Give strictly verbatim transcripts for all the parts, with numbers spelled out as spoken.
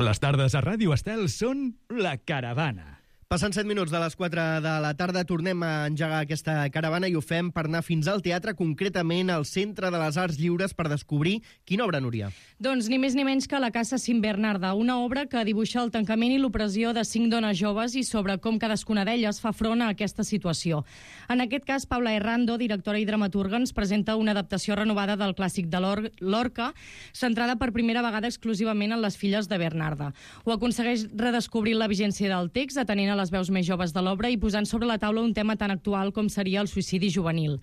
Les tardes a Ràdio Estel són La Caravana. Passant set minuts de les quatre de la tarda, tornem a engegar aquesta caravana i ho fem per anar fins al teatre, concretament al Centre de les Arts Lliures, per descobrir quina obra, Núria. Doncs ni més ni menys que La Casa Sin Bernarda, una obra que dibuixa el tancament i l'opressió de cinc dones joves i sobre com cadascuna d'elles fa front a aquesta situació. En aquest cas, Paula Errando, directora i dramaturga, ens presenta una adaptació renovada del clàssic de Lorca, centrada per primera vegada exclusivament en les filles de Bernarda. Ho aconsegueix redescobrir la vigència del text, atenent a les veus més joves de l'obra i posant sobre la taula un tema tan actual com seria el suïcidi juvenil.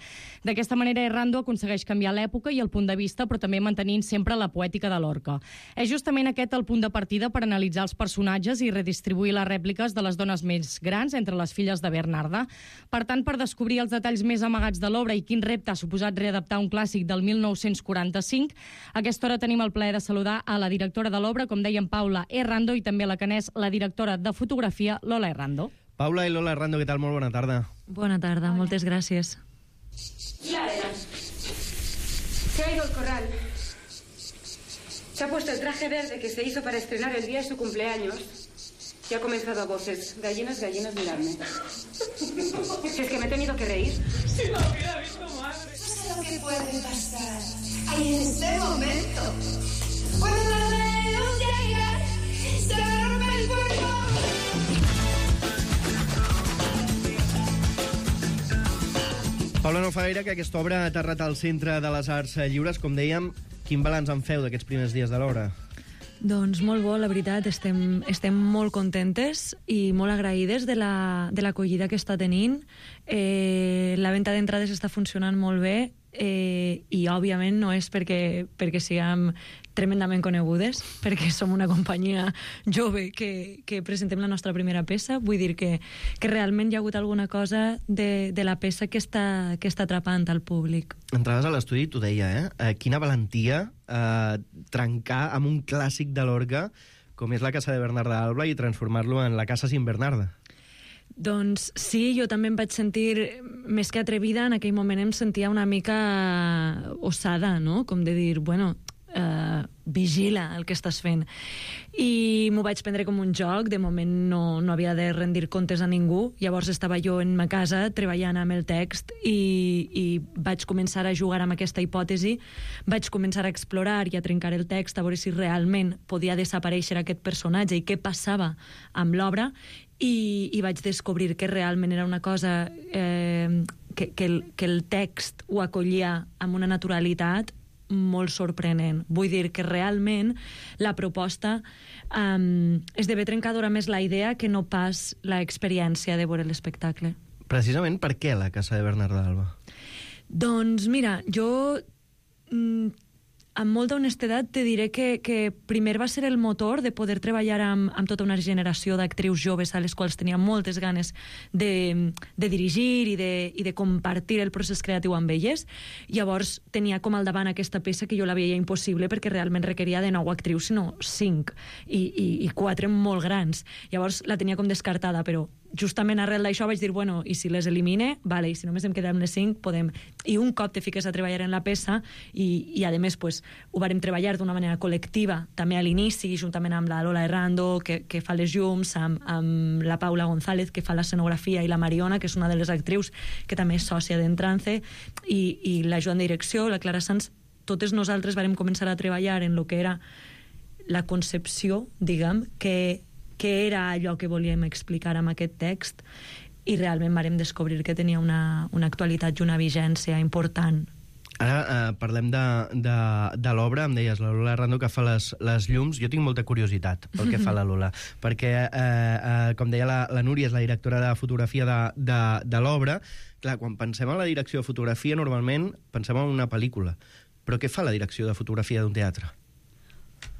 D'aquesta manera, Errando aconsegueix canviar l'època i el punt de vista, però també mantenint sempre la poètica de Lorca. És justament aquest el punt de partida per analitzar els personatges i redistribuir les rèpliques de les dones més grans entre les filles de Bernarda. Per tant, per descobrir els detalls més amagats de l'obra i quin repte ha suposat readaptar un clàssic del mil nou-cents quaranta-cinc, a aquesta hora tenim el plaer de saludar a la directora de l'obra, com dèiem, Paula Errando, i també a la que n'és la directora de fotografia, Lola Errando. Paula i Lola Errando, què tal? Molt bona tarda. Bona tarda, Hola. Moltes gràcies. Clara, se ha ido al corral. Se ha puesto el traje verde que se hizo para estrenar el día de su cumpleaños y ha comenzado a voces. Gallinas, gallinas, miradme. Si es que me he tenido que reír. Si lo hubiera visto, madre. No sé lo que puede pasar ahí en este momento. Cuando los dedos llegan, se rompe el fuego. Paula, no fa gaire que aquesta obra ha aterrat al Centre de les Arts Lliures. Com dèiem, quin balanç en feu d'aquests primers dies de l'obra? Doncs molt bo, la veritat, estem, estem molt contentes i molt agraïdes de la, de l'acollida que està tenint. Eh, la venda d'entrades està funcionant molt bé eh, i, òbviament, no és perquè, perquè siguem tremendament conegudes, perquè som una companyia jove que, que presentem la nostra primera peça. Vull dir que, que realment hi ha hagut alguna cosa de, de la peça que està, que està atrapant al públic. Entraves a l'estudi i t'ho deia, eh? eh? Quina valentia eh, trencar amb un clàssic de Lorca com és La Casa de Bernarda Alba i transformar-lo en La Casa Sin Bernarda. Doncs sí, jo també em vaig sentir més que atrevida. En aquell moment em sentia una mica osada, no? Com de dir, bueno, Uh, vigila el que estàs fent, i m'ho vaig prendre com un joc. De moment no, no havia de rendir comptes a ningú. Llavors estava jo en ma casa treballant amb el text i, i vaig començar a jugar amb aquesta hipòtesi, vaig començar a explorar i a trencar el text a veure si realment podia desaparèixer aquest personatge i què passava amb l'obra, i, i vaig descobrir que realment era una cosa eh, que, que, el, que el text ho acollia amb una naturalitat molt sorprenent. Vull dir que realment la proposta um, esdevé trencadora més la idea que no pas l'experiència de veure l'espectacle. Precisament per què La Casa de Bernarda Alba? Doncs mira, jo mm, amb molta honestedat te diré que, que primer va ser el motor de poder treballar amb, amb tota una generació d'actrius joves a les quals tenia moltes ganes de, de dirigir i de, i de compartir el procés creatiu amb elles. Llavors tenia com al davant aquesta peça que jo la veia impossible perquè realment requeria de nou actrius, sinó cinc, i, i, i quatre molt grans. Llavors la tenia com descartada, però justament arrel d'això vaig dir, bueno, i si les elimine, vale, i si només em quedem les cinc, podem. I un cop te fiques a treballar en la peça, i, i a més, pues, ho vàrem treballar d'una manera col·lectiva, també a l'inici, juntament amb la Lola Errando, que, que fa les llums, amb, amb la Paula González, que fa l'escenografia, i la Mariona, que és una de les actrius que també és sòcia d'Entrance, i, i la Joan de direcció, la Clara Sanz. Totes nosaltres vàrem començar a treballar en el que era la concepció, diguem, que que era allò que volíem explicar amb aquest text, i realment vàrem descobrir que tenia una, una actualitat i una vigència important. Ara eh, parlem de, de, de l'obra. Em deies, la Lola Errando, que fa les, les llums. Jo tinc molta curiositat pel que fa la Lola, perquè, eh, eh, com deia la, la Núria, és la directora de fotografia de, de, de l'obra. Clar, quan pensem en la direcció de fotografia, normalment pensem en una pel·lícula. Però què fa la direcció de fotografia d'un teatre?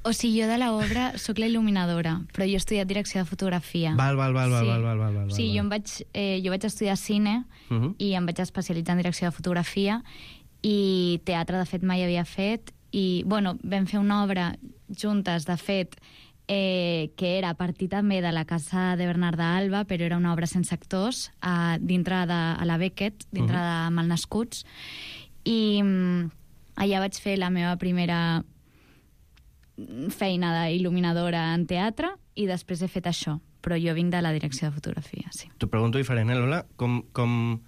O sigui, jo de l'obra soc la il·luminadora, però jo he estudiat direcció de fotografia. Val, val, val, sí. val, val, val, val. O sigui, jo, em vaig, eh, jo vaig estudiar cine uh -huh. i em vaig especialitzar en direcció de fotografia, i teatre, de fet, mai havia fet. I, bueno, vam fer una obra juntes, de fet, eh, que era a partir també de La Casa de Bernarda Alba, però era una obra sense actors, a, dintre de a la Beckett, dintre uh -huh. de Malnascuts. I mm, allà vaig fer la meva primera feina d'il·luminadora en teatre i després he fet això. Però jo vinc de la direcció de fotografia, sí. T'ho pregunto diferent, eh, Lola? Com, com,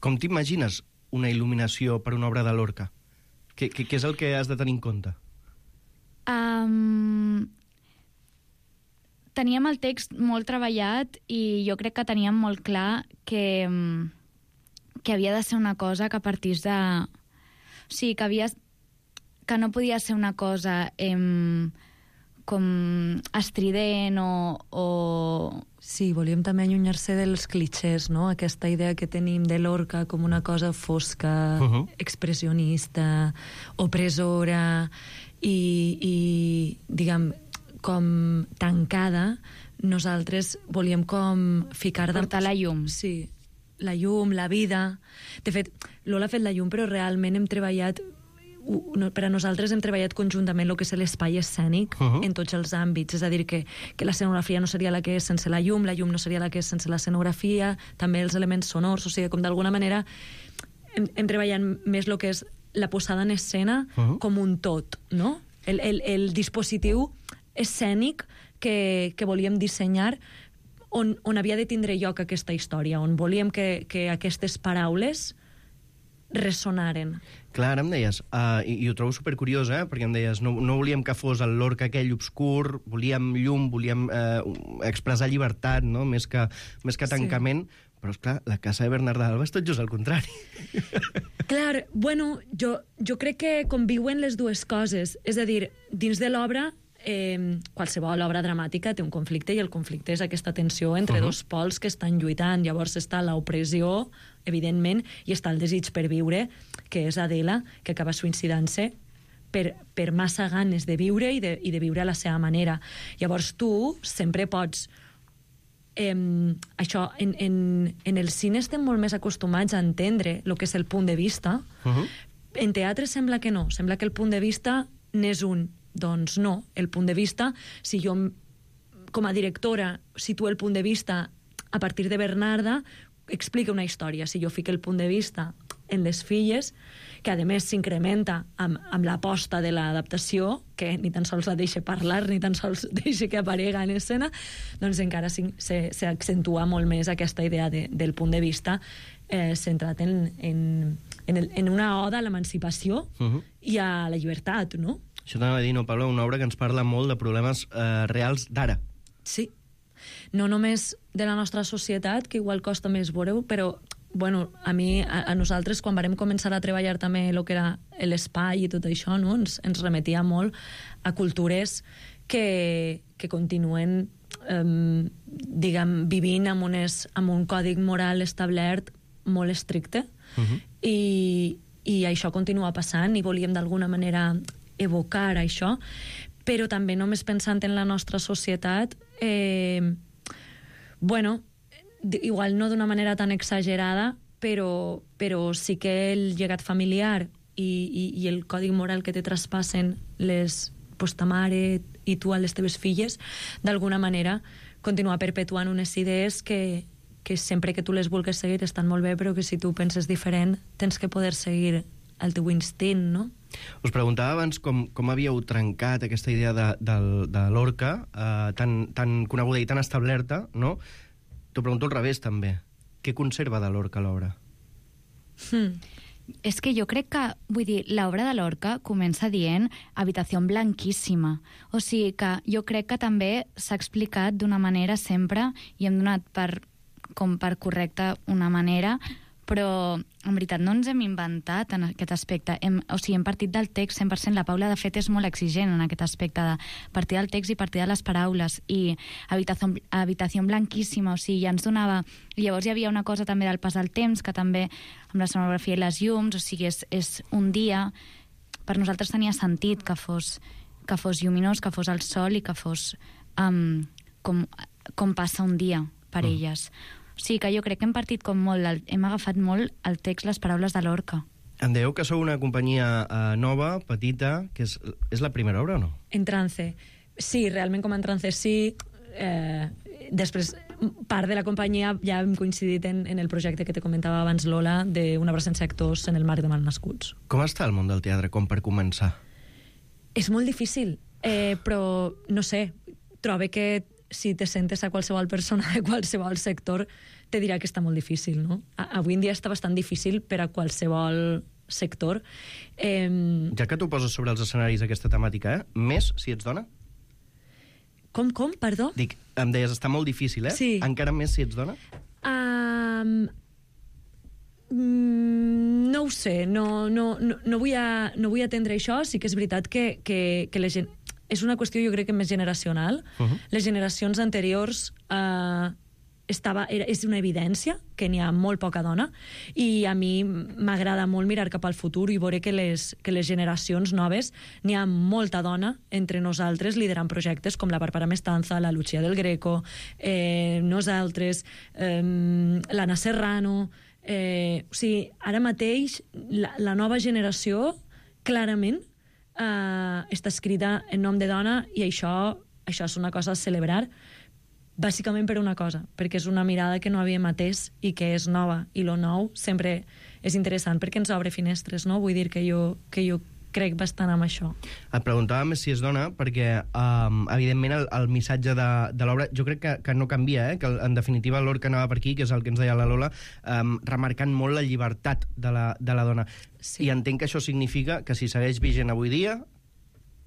com t'imagines una il·luminació per una obra de Lorca? Què, què, què és el que has de tenir en compte? Um, teníem el text molt treballat i jo crec que teníem molt clar que, que havia de ser una cosa que partís de... O sigui, que havia... que no podia ser una cosa em, com estrident o, o... Sí, volíem també allunyar-se dels clichés, no? Aquesta idea que tenim de Lorca com una cosa fosca, uh-huh. expressionista, opressora i, i diguem, com tancada. Nosaltres volíem com ficar... Portar la llum. Sí, la llum, la vida... De fet, Lola ha fet la llum, però realment hem treballat... per a nosaltres hem treballat conjuntament el que és l'espai escènic uh-huh. en tots els àmbits, és a dir, que, que l'escenografia no seria la que és sense la llum, la llum no seria la que és sense l'escenografia, també els elements sonors, o sigui, com d'alguna manera hem, hem treballat més el que és la posada en escena uh-huh. com un tot, no? El, el, el dispositiu escènic que, que volíem dissenyar on, on havia de tindre lloc aquesta història, on volíem que, que aquestes paraules ressonaren. Clar, ara em deies, uh, i, i ho trobo supercuriós, eh? Perquè em deies, no, no volíem que fos el Lorca aquell obscur, volíem llum, volíem uh, expressar llibertat, no? Més que, més que tancament, sí. Però, esclar, la casa de Bernarda Alba és tot just al contrari. Clar, bueno, jo, jo crec que conviuen les dues coses. És a dir, dins de l'obra, eh, qualsevol obra dramàtica té un conflicte, i el conflicte és aquesta tensió entre uh-huh. dos pols que estan lluitant. Llavors està l'opressió, evidentment, i està el desig per viure, que és Adela, que acaba suïcidant-se per, per massa ganes de viure i de, i de viure a la seva manera. Llavors tu sempre pots... Eh, això, en, en, en el cine estem molt més acostumats a entendre el que és el punt de vista. Uh-huh. En teatre sembla que no, sembla que el punt de vista n'és un. Doncs no, el punt de vista, si jo com a directora situo el punt de vista a partir de Bernarda, explica una història. Si jo fico el punt de vista en les filles, que a més s'incrementa amb, amb l'aposta de l'adaptació, que ni tan sols la deixa parlar, ni tan sols deixa que aparega en escena, doncs encara s'accentua molt més aquesta idea de, del punt de vista eh, centrat en, en, en, el, en una oda a l'emancipació uh-huh. i a la llibertat, no? Això t'anava a dir, no, Paula, una obra que ens parla molt de problemes eh, reals d'ara. Sí. No només de la nostra societat, que igual costa més veure-ho, però, bueno, a mi, a, a nosaltres, quan vam començar a treballar també el que era l'espai i tot això, no? ens, ens remetia molt a cultures que, que continuen, eh, diguem, vivint amb, unes, amb un còdic moral establert molt estricte, uh-huh. i, i això continua passant, i volíem d'alguna manera evocar això, però també només pensant en la nostra societat, eh, bueno, igual no d'una manera tan exagerada, però, però sí que el llegat familiar i, i, i el còdic moral que te traspassen les, pues, ta mare i tu a les teves filles, d'alguna manera continua perpetuant unes idees que, que sempre que tu les vulguis seguir estan molt bé, però que si tu penses diferent tens que poder seguir el teu instint, no? Us preguntava abans com, com havíeu trencat aquesta idea de, de, de Lorca, eh, tan, tan coneguda i tan establerta, no? T'ho pregunto al revés, també. Què conserva de Lorca l'obra? Hmm. És que jo crec que, vull dir, l'obra de Lorca comença dient habitació blanquíssima. O sigui que jo crec que també s'ha explicat d'una manera sempre i hem donat per, com per correcta una manera, però en veritat no ens hem inventat en aquest aspecte. Hem, o sigui, hem partit del text cent per cent. La Paula, de fet, és molt exigent en aquest aspecte de partir del text i partir de les paraules. I habitació, habitació blanquíssima, o sigui, ja ens donava... I llavors hi havia una cosa també del pas del temps, que també amb la sonografia i les llums, o sigui, és, és un dia... Per nosaltres tenia sentit que fos, que fos lluminós, que fos el sol i que fos um, com, com passa un dia per mm. elles. O sigui que jo crec que hem partit com molt, hem agafat molt el text, les paraules de Lorca. Em dèieu que sou una companyia uh, nova, petita, que és, és la primera obra o no? En Trance. Sí, realment com en Trance sí. Eh, després, part de la companyia ja hem coincidit en, en el projecte que te comentava abans, Lola, d'una obra sense actors en el marc de Malnascuts. Com està el món del teatre, com per començar? És molt difícil, eh, però no sé, trobo que si te sentes a qualsevol persona de qualsevol sector te dirà que està molt difícil, no? Avui en dia està bastant difícil per a qualsevol sector. Eh... Ja que tu poses sobre els escenaris aquesta temàtica, eh? Més si ets dona? Com, com? Perdó? Dic, em deies, està molt difícil, eh? Sí. Encara més si ets dona? Um, mm, no ho sé, no, no, no, no, vull a, no vull atendre això. Sí que és veritat que, que, que la gent... És una qüestió, jo crec, que més generacional. Uh-huh. Les generacions anteriors uh, estava, era, és una evidència que n'hi ha molt poca dona, i a mi m'agrada molt mirar cap al futur i veure que les, que les generacions noves n'hi ha molta dona entre nosaltres liderant projectes com la Bàrbara Mestanza, la Lucía del Greco, eh, nosaltres, eh, l'Anna Serrano... Eh, o sigui, ara mateix la, la nova generació clarament eh, està escrita en nom de dona, i això, això és una cosa a celebrar, bàsicament per una cosa, perquè és una mirada que no havíem atès i que és nova, i lo nou sempre és interessant perquè ens obre finestres, no? Vull dir que jo, que jo crec bastant amb això. Et preguntava més si és dona perquè, um, evidentment, el, el missatge de, de l'obra jo crec que, que no canvia, eh? Que en definitiva l'Orca anava per aquí, que és el que ens deia la Lola, um, remarcant molt la llibertat de la, de la dona. Sí. I entenc que això significa que si segueix vigent avui dia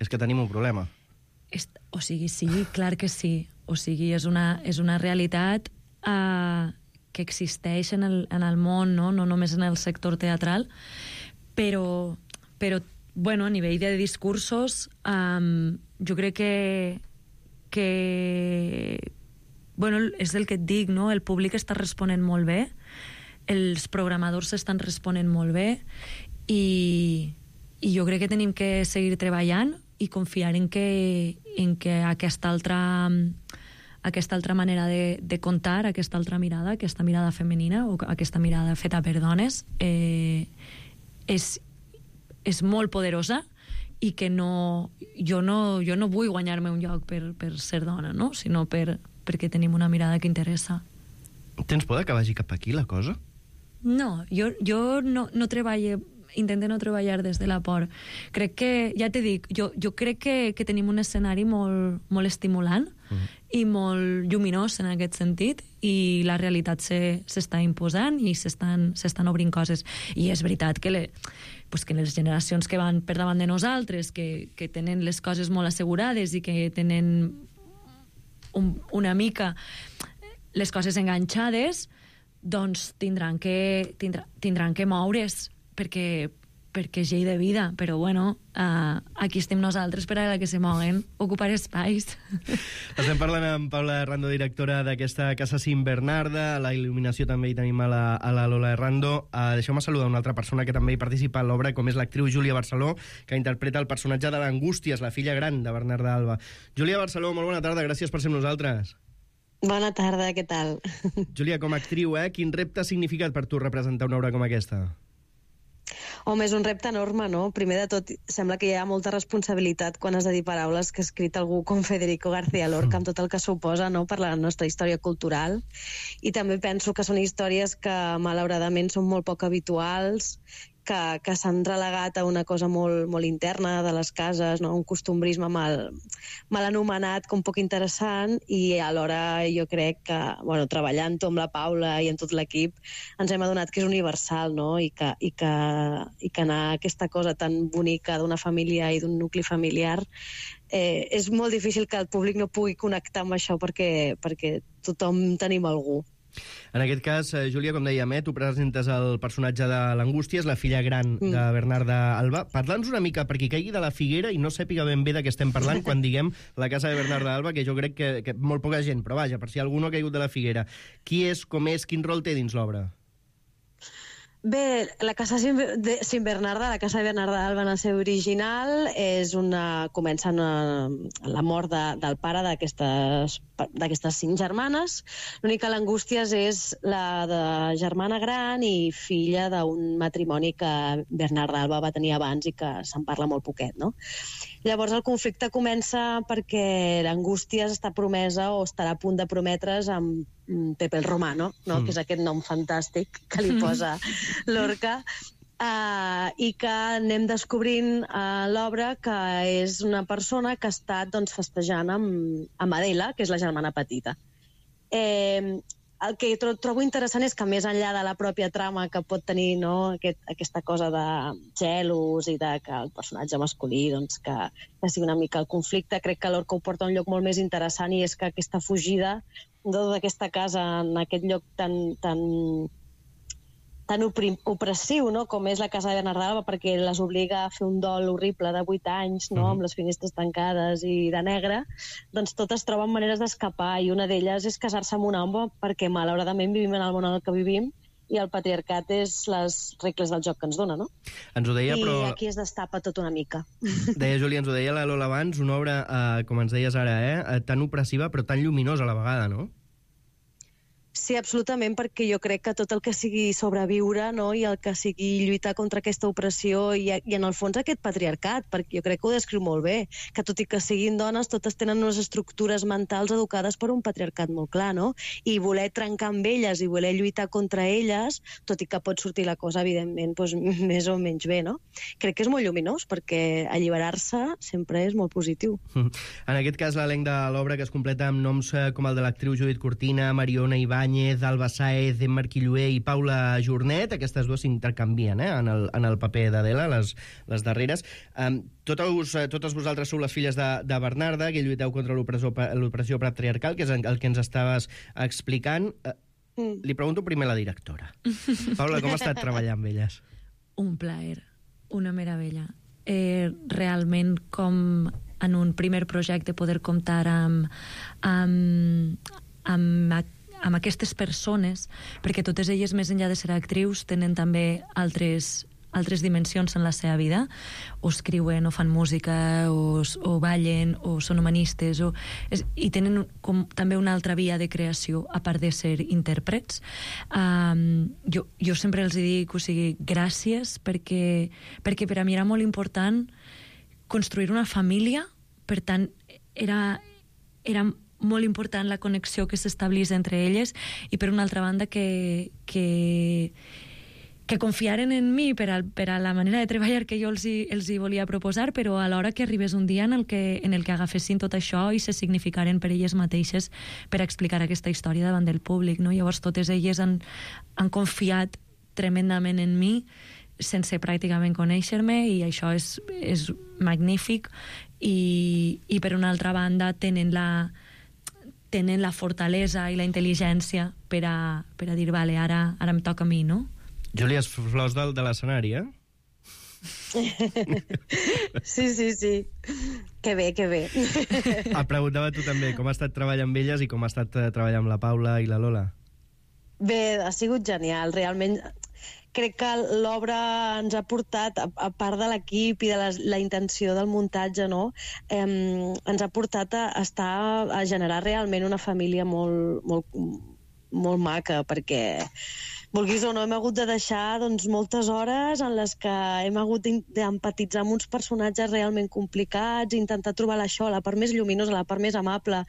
és que tenim un problema. És, o sigui, sí, clar que sí. O sigui, és una, és una realitat uh, que existeix en el, en el món, no? No només en el sector teatral, però, però bueno, a nivell de discursos, um, jo crec que, que bueno, és el que et dic, no? El públic està responent molt bé, els programadors estan responent molt bé, i, i jo crec que tenim que seguir treballant i confiar en que, en que aquesta altra, aquesta altra manera de, de contar, aquesta altra mirada, aquesta mirada femenina, o aquesta mirada feta per dones, eh, és és molt poderosa, i que no, jo, no, jo no vull guanyar-me un lloc per, per ser dona, no? Sinó per, perquè tenim una mirada que interessa. Tens por que vagi cap aquí la cosa? No, jo, jo no, no treballo, intento no treballar des de la por. Crec que, ja t'he dit, jo, jo crec que, que tenim un escenari molt, molt estimulant uh-huh. i molt lluminós en aquest sentit, i la realitat s'està imposant i s'estan obrint coses. I és veritat que, le, pues que les generacions que van per davant de nosaltres, que, que tenen les coses molt assegurades i que tenen un, una mica les coses enganxades, doncs tindran que, tindrà, tindran que moure's, perquè, perquè és llei de vida, però bueno, uh, aquí estem nosaltres per a la que se moguen, ocupar espais. Estem parlant amb Paula Errando, directora d'aquesta Casa Sin Bernarda. A la il·luminació també hi tenim a la, a la Lola Errando. Uh, Deixeu-me saludar una altra persona que també hi participa en l'obra, com és l'actriu Júlia Barceló, que interpreta el personatge de l'Angústies, la filla gran de Bernarda Alba. Júlia Barceló, molt bona tarda, gràcies per ser amb nosaltres. Bona tarda, què tal? Júlia, com a actriu, eh, quin repte ha significat per tu representar una obra com aquesta? Home, és un repte enorme, no? Primer de tot, sembla que hi ha molta responsabilitat quan has de dir paraules que ha escrit algú com Federico García Lorca, amb tot el que suposa, no?, per la nostra història cultural. I també penso que són històries que, malauradament, són molt poc habituals, que, que s'han relegat a una cosa molt, molt interna de les cases, no? Un costumbrisme mal, mal anomenat, com poc interessant, i alhora jo crec que, bueno, treballant-ho amb la Paula i amb tot l'equip, ens hem adonat que és universal, no? I que, i que, i que anar a aquesta cosa tan bonica d'una família i d'un nucli familiar, eh, és molt difícil que el públic no pugui connectar amb això, perquè, perquè tothom tenim algú. En aquest cas, eh, Júlia, com dèiem, eh, tu presentes el personatge de l'Angústies, la filla gran mm. de Bernarda Alba. Parla'ns una mica, perquè caigui de la figuera i no sàpiga ben bé de què estem parlant quan diguem la casa de Bernarda Alba, que jo crec que, que molt poca gent, però vaja, per si algú no ha caigut de la figuera. Qui és, com és, quin rol té dins l'obra? Bé, la casa de Sin Bernarda, la casa de Bernarda Alba en el seu original, és una, comença una, la mort de, del pare d'aquestes d'aquestes cinc germanes. L'única l'Angústies és la de germana gran i filla d'un matrimoni que Bernarda Alba va tenir abans i que se'n parla molt poquet, no? Llavors el conflicte comença perquè l'Angústies està promesa o estarà a punt de prometre's amb Pepe el Romano, no? Mm. Que és aquest nom fantàstic que li posa Lorca, Uh, i que anem descobrint a l'obra que és una persona que ha estat doncs, festejant amb, amb Adela, que és la germana petita. Eh, el que tro trobo interessant és que més enllà de la pròpia trama que pot tenir, no, aquest, aquesta cosa de gelos i de que el personatge masculí doncs, que, que sigui una mica el conflicte, crec que Lorca ho porta a un lloc molt més interessant, i és que aquesta fugida d'aquesta casa en aquest lloc tan, tan, tan opressiu, no? Com és la casa de Bernarda Alba, perquè les obliga a fer un dol horrible de vuit anys, no? Uh -huh. Amb les finestres tancades i de negre, doncs totes troben maneres d'escapar, i una d'elles és casar-se amb un home, perquè malauradament vivim en el món en el que vivim, i el patriarcat és les regles del joc que ens dona, no? Ens ho deia, I però... aquí es destapa tot una mica. Deia, Júlia, ens ho deia la Lola abans, una obra, eh, com ens deies ara, eh, tan opressiva però tan lluminosa a la vegada, no? Sí, absolutament, perquè jo crec que tot el que sigui sobreviure, no?, i el que sigui lluitar contra aquesta opressió i, i en el fons aquest patriarcat, perquè jo crec que ho descriu molt bé, que tot i que siguin dones, totes tenen unes estructures mentals educades per un patriarcat molt clar, no? I voler trencar amb elles i voler lluitar contra elles, tot i que pot sortir la cosa, evidentment, doncs, més o menys bé, no? Crec que és molt lluminós, perquè alliberar-se sempre és molt positiu. En aquest cas, l'elenc de l'obra, que es completa amb noms com el de l'actriu Judit Cortina, Mariona Ibar, Alba Sáez, Emma Quillué i Paula Jornet. Aquestes dues s'intercanvien eh, en, el, en el paper d'Adela, les, les darreres. Um, totes, totes vosaltres sou les filles de, de Bernarda, que lluiteu contra l'opressió patriarcal, que és el que ens estaves explicant. Uh, mm. Li pregunto primer a la directora. Paula, com ha estat treballar amb elles? Un plaer, una meravella. Eh, realment, com en un primer projecte, poder comptar amb... amb, amb amb aquestes persones, perquè totes elles, més enllà de ser actrius, tenen també altres, altres dimensions en la seva vida, o escriuen, o fan música, o, o ballen, o són humanistes, o, és, i tenen com, també una altra via de creació, a part de ser intèrprets. Um, jo, jo sempre els dic, o sigui, gràcies, perquè, perquè per a mi era molt important construir una família, per tant, era... era molt important la connexió que s'establís entre elles, i per una altra banda que, que, que confiaren en mi per a, per a la manera de treballar que jo els hi, els hi volia proposar, però alhora que arribés un dia en el que, en el que agafessin tot això i se significaren per elles mateixes per explicar aquesta història davant del públic, no? Llavors totes elles han, han confiat tremendament en mi sense pràcticament conèixer-me, i això és, és magnífic, i, i per una altra banda tenen la tenen la fortalesa i la intel·ligència per a, per a dir, vale, ara, ara em toca a mi, no? Júlia, és flors de, de l'escenari, eh? Sí, sí, sí. Que bé, que bé. Et preguntava tu també com ha estat treballar amb elles i com ha estat treballar amb la Paula i la Lola. Bé, ha sigut genial, realment. Crec que l'obra ens ha portat, a, a part de l'equip i de la, la intenció del muntatge, no? Eh, ens ha portat a estar a generar realment una família molt, molt, molt maca, perquè, vulguis o no, hem hagut de deixar doncs, moltes hores en les que hem hagut d'empatitzar amb uns personatges realment complicats, intentar trobar això, la part més lluminosa, la part més amable,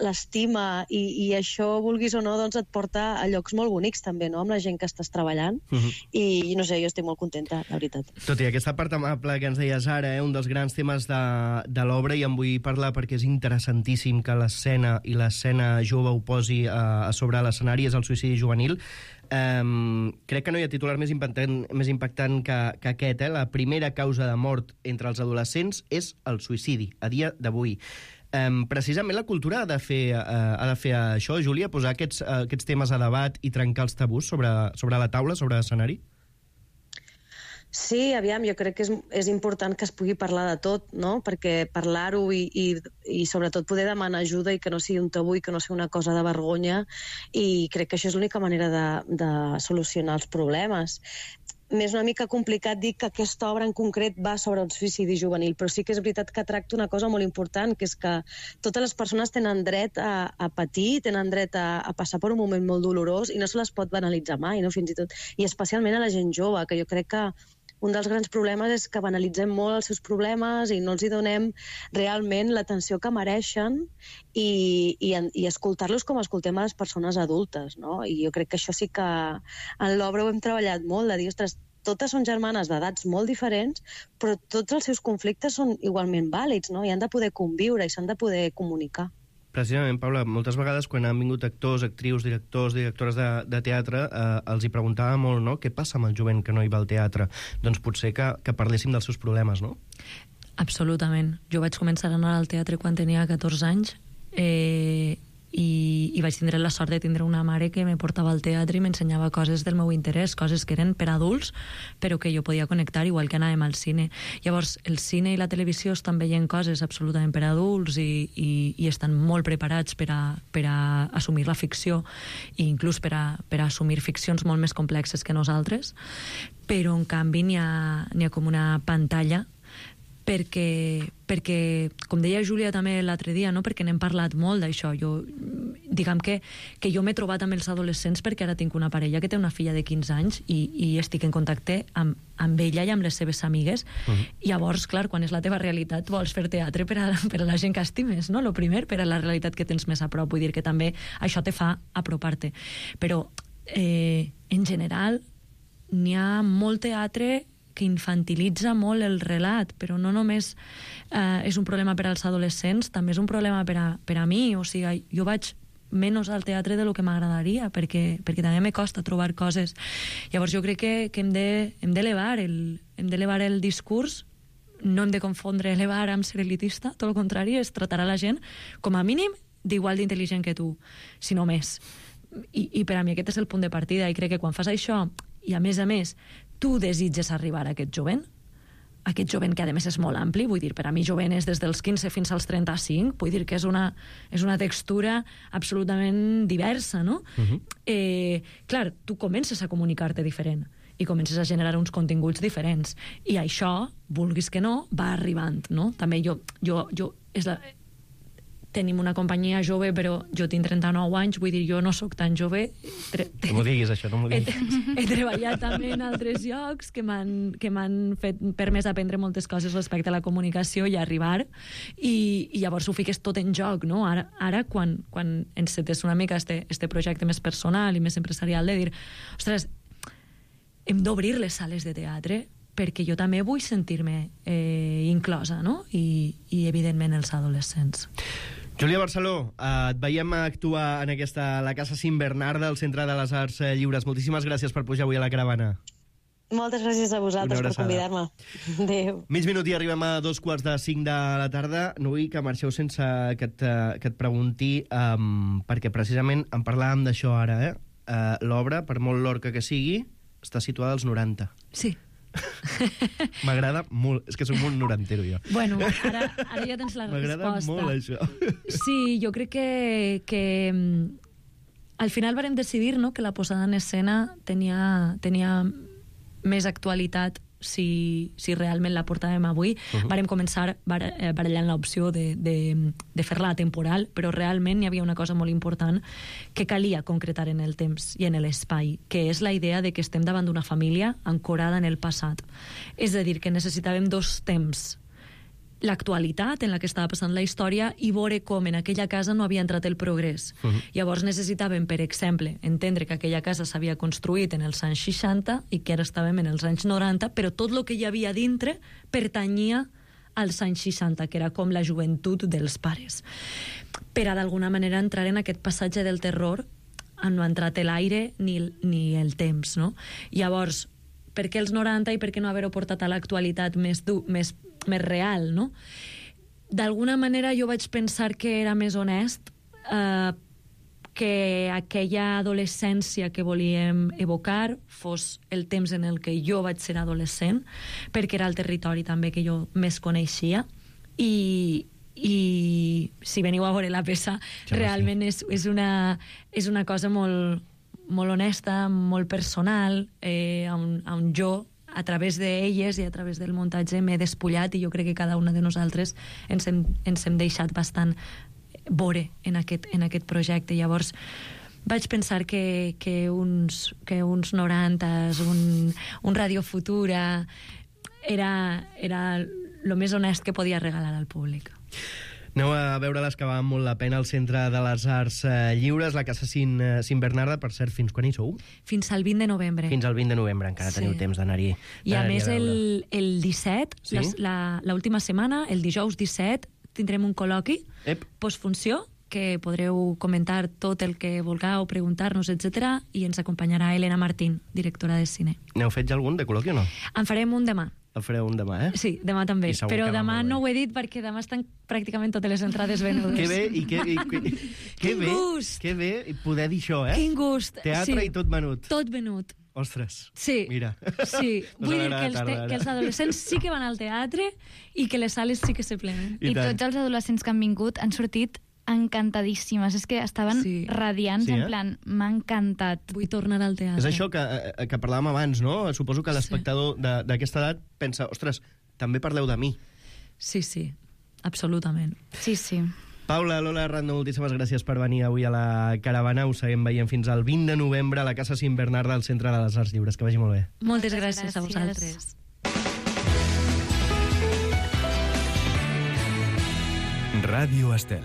l'estima, i, i això, vulguis o no, doncs et porta a llocs molt bonics també, no?, amb la gent que estàs treballant. Uh -huh. I no sé, jo estic molt contenta, la veritat. Tot i aquesta part amable que ens deies ara, eh, un dels grans temes de, de l'obra, i en vull parlar perquè és interessantíssim que l'escena i l'escena jove ho posi a, a sobre l'escenari, és el suïcidi juvenil. Um, crec que no hi ha titular més impactant, més impactant que, que aquest, eh? La primera causa de mort entre els adolescents és el suïcidi, a dia d'avui. Um, precisament la cultura ha de fer, uh, ha de fer això, Júlia, posar aquests, uh, aquests temes a debat i trencar els tabús sobre, sobre la taula, sobre l'escenari? Sí, aviam, jo crec que és, és important que es pugui parlar de tot, no?, perquè parlar-ho i, i, i sobretot poder demanar ajuda i que no sigui un tabú i que no sigui una cosa de vergonya, i crec que això és l'única manera de, de solucionar els problemes. M'és una mica complicat dir que aquesta obra en concret va sobre un suïcidi juvenil, però sí que és veritat que tracta una cosa molt important, que és que totes les persones tenen dret a, a patir, tenen dret a, a passar per un moment molt dolorós, i no se les pot banalitzar mai, no?, fins i tot, i especialment a la gent jove, que jo crec que un dels grans problemes és que banalitzem molt els seus problemes i no els hi donem realment l'atenció que mereixen, i, i, i escoltar-los com escoltem a les persones adultes, no? I jo crec que això sí que en l'obra ho hem treballat molt, de dir, ostres, totes són germanes d'edats molt diferents, però tots els seus conflictes són igualment vàlids, no? I han de poder conviure i s'han de poder comunicar. Precisament, Paula, moltes vegades quan han vingut actors, actrius, directors, directores de, de teatre, eh, els hi preguntava molt, no?, què passa amb el jovent que no hi va al teatre? Doncs potser que, que parléssim dels seus problemes, no? Absolutament. Jo vaig començar a anar al teatre quan tenia catorze anys, eh, i, i vaig tindre la sort de tindre una mare que me portava al teatre i m'ensenyava coses del meu interès, coses que eren per adults, però que jo podia connectar, igual que anàvem al cine. Llavors, el cine i la televisió estan veient coses absolutament per adults i, i, i estan molt preparats per a, per a assumir la ficció i inclús per a, per a assumir ficcions molt més complexes que nosaltres, però en canvi n'hi ha, n'hi ha com una pantalla perquè, perquè, com deia Júlia també l'altre dia, no? Perquè n'hem parlat molt d'això. Jo, diguem que, que jo m'he trobat amb els adolescents perquè ara tinc una parella que té una filla de quinze anys i, i estic en contacte amb, amb ella i amb les seves amigues. Uh-huh. I llavors, clar, quan és la teva realitat vols fer teatre per a, per a la gent que estimes, no? Lo primer, per a la realitat que tens més a prop. Vull dir que també això te fa apropar-te. Però, eh, en general, n'hi ha molt teatre que infantilitza molt el relat, però no només eh, és un problema per als adolescents, també és un problema per a, per a mi. O sigui, jo vaig menys al teatre de lo que m'agradaria, perquè, perquè també me costa trobar coses. Llavors jo crec que, que hem de, hem d'elevar el, hem d'elevar el discurs, no hem de confondre elevar amb ser elitista, tot el contrari, és tratar a la gent com a mínim d'igual d'intel·ligent que tu, si no més. I, I per a mi aquest és el punt de partida, i crec que quan fas això, i a més a més, tu desitges arribar a aquest jovent, aquest jovent que a més és molt ampli, vull dir, per a mi jovent és des dels quinze fins als trenta-cinc, vull dir que és una, és una textura absolutament diversa, no? Uh-huh. Eh, clar, tu comences a comunicar-te diferent i comences a generar uns continguts diferents, i això, vulguis que no, va arribant, no? També jo, jo, jo és la... tenim una companyia jove, però jo tinc trenta-nou anys, vull dir, jo no sóc tan jove. Tre... No m'ho diguis, això, no m'ho diguis. He, he treballat també en altres llocs que m'han que m'han fet permès aprendre moltes coses respecte a la comunicació i arribar, i, i llavors ho fiques tot en joc, no? Ara, ara quan, quan encetes una mica este, este projecte més personal i més empresarial, de dir, ostres, hem d'obrir les sales de teatre perquè jo també vull sentir-me eh, inclosa, no? I, i evidentment els adolescents. Júlia Barceló, eh, et veiem actuar en aquesta, la Casa Cim Bernarda, al Centre de les Arts Lliures. Moltíssimes gràcies per pujar avui a la caravana. Moltes gràcies a vosaltres per convidar-me. Adéu. Mig minut i arribem a dos quarts de cinc de la tarda. No vull que marxeu sense que et, que et pregunti, um, perquè precisament en parlàvem d'això ara, eh? Uh, l'obra, per molt lorca que sigui, està situada als noranta. Sí. M'agrada molt, és que soc molt norantero jo. Bueno, ara, ara ja tens la M'agrada resposta. M'agrada molt això. Sí, jo crec que, que al final varem decidir, no, que la posada en escena tenia, tenia més actualitat si, si realment la portàvem avui. Uh-huh. Varem començar barallant l'opció de, de, de fer-la temporal, però realment hi havia una cosa molt important que calia concretar en el temps i en l'espai, que és la idea de que estem davant d'una família ancorada en el passat. És a dir, que necessitàvem dos temps: l'actualitat en la que estava passant la història i veure com en aquella casa no havia entrat el progrés. Uh-huh. Llavors necessitàvem, per exemple, entendre que aquella casa s'havia construït en els anys seixanta i que ara estàvem en els anys noranta, però tot el que hi havia dintre pertanyia als anys seixanta, que era com la joventut dels pares. Per a d'alguna manera entrar en aquest passatge del terror on no ha entrat l'aire ni, ni el temps, no? Llavors, per què els noranta i per què no haver-ho portat a l'actualitat més, du, més, més real, no? D'alguna manera jo vaig pensar que era més honest, eh, que aquella adolescència que volíem evocar fos el temps en el que jo vaig ser adolescent, perquè era el territori també que jo més coneixia, i, i si veniu a veure la peça, ja realment sí. és, és, una, és una cosa molt... molt honesta, molt personal, eh, on, on jo, a través d'elles i a través del muntatge, m'he despullat, i jo crec que cada una de nosaltres ens hem, ens hem deixat bastant veure en aquest, en aquest projecte. Llavors, vaig pensar que, que, uns, que uns norantes, un, un Radio Futura, era, era el més honest que podia regalar al públic. Aneu a veure les que valen molt la pena al Centre de les Arts eh, Lliures, la Casa Cint, eh, Cint Bernarda. Per cert, fins quan hi sou? Fins al vint de novembre. Fins al vint de novembre, encara Sí. teniu temps d'anar-hi. I a d'anar-hi més, veure. el, el disset, Sí? les- la- l'última setmana, el dijous disset, tindrem un col·loqui, Ep. postfunció, que podreu comentar tot el que vulgueu, preguntar-nos, etcètera, i ens acompanyarà Elena Martín, directora de cine. N'heu fet ja algun de col·loqui o no? En farem un demà. El fareu un demà, eh? Sí, demà també. I segur Però que va demà molt bé. no ho he dit perquè demà estan pràcticament totes les entrades venudes. Que bé, i que, i, que, que Quin bé, gust! que bé poder dir això, eh? Quin gust! Teatre sí. i tot venut. Tot venut. Ostres. Sí, Mira. sí. Us Vull dir agrada que els, tarda, te, ara. que els adolescents sí que van al teatre i que les sales sí que se plenen. I I, tant. tots els adolescents que han vingut han sortit encantadíssimes. És que estaven Sí. radiants, Sí, eh? en plan, m'ha encantat. Vull tornar al teatre. És això que, eh, que parlàvem abans, no? Suposo que l'espectador de- d'aquesta edat pensa, ostres, també parleu de mi. Sí, sí, absolutament. Sí, sí. Paula, Lola Rando, moltíssimes gràcies per venir avui a la caravana. Us seguim veient fins al vint de novembre a la Casa Cint Bernarda al Centre de les Arts Lliures. Que vagi molt bé. Moltes Moltes gràcies, a gràcies. vosaltres. Ràdio Estel.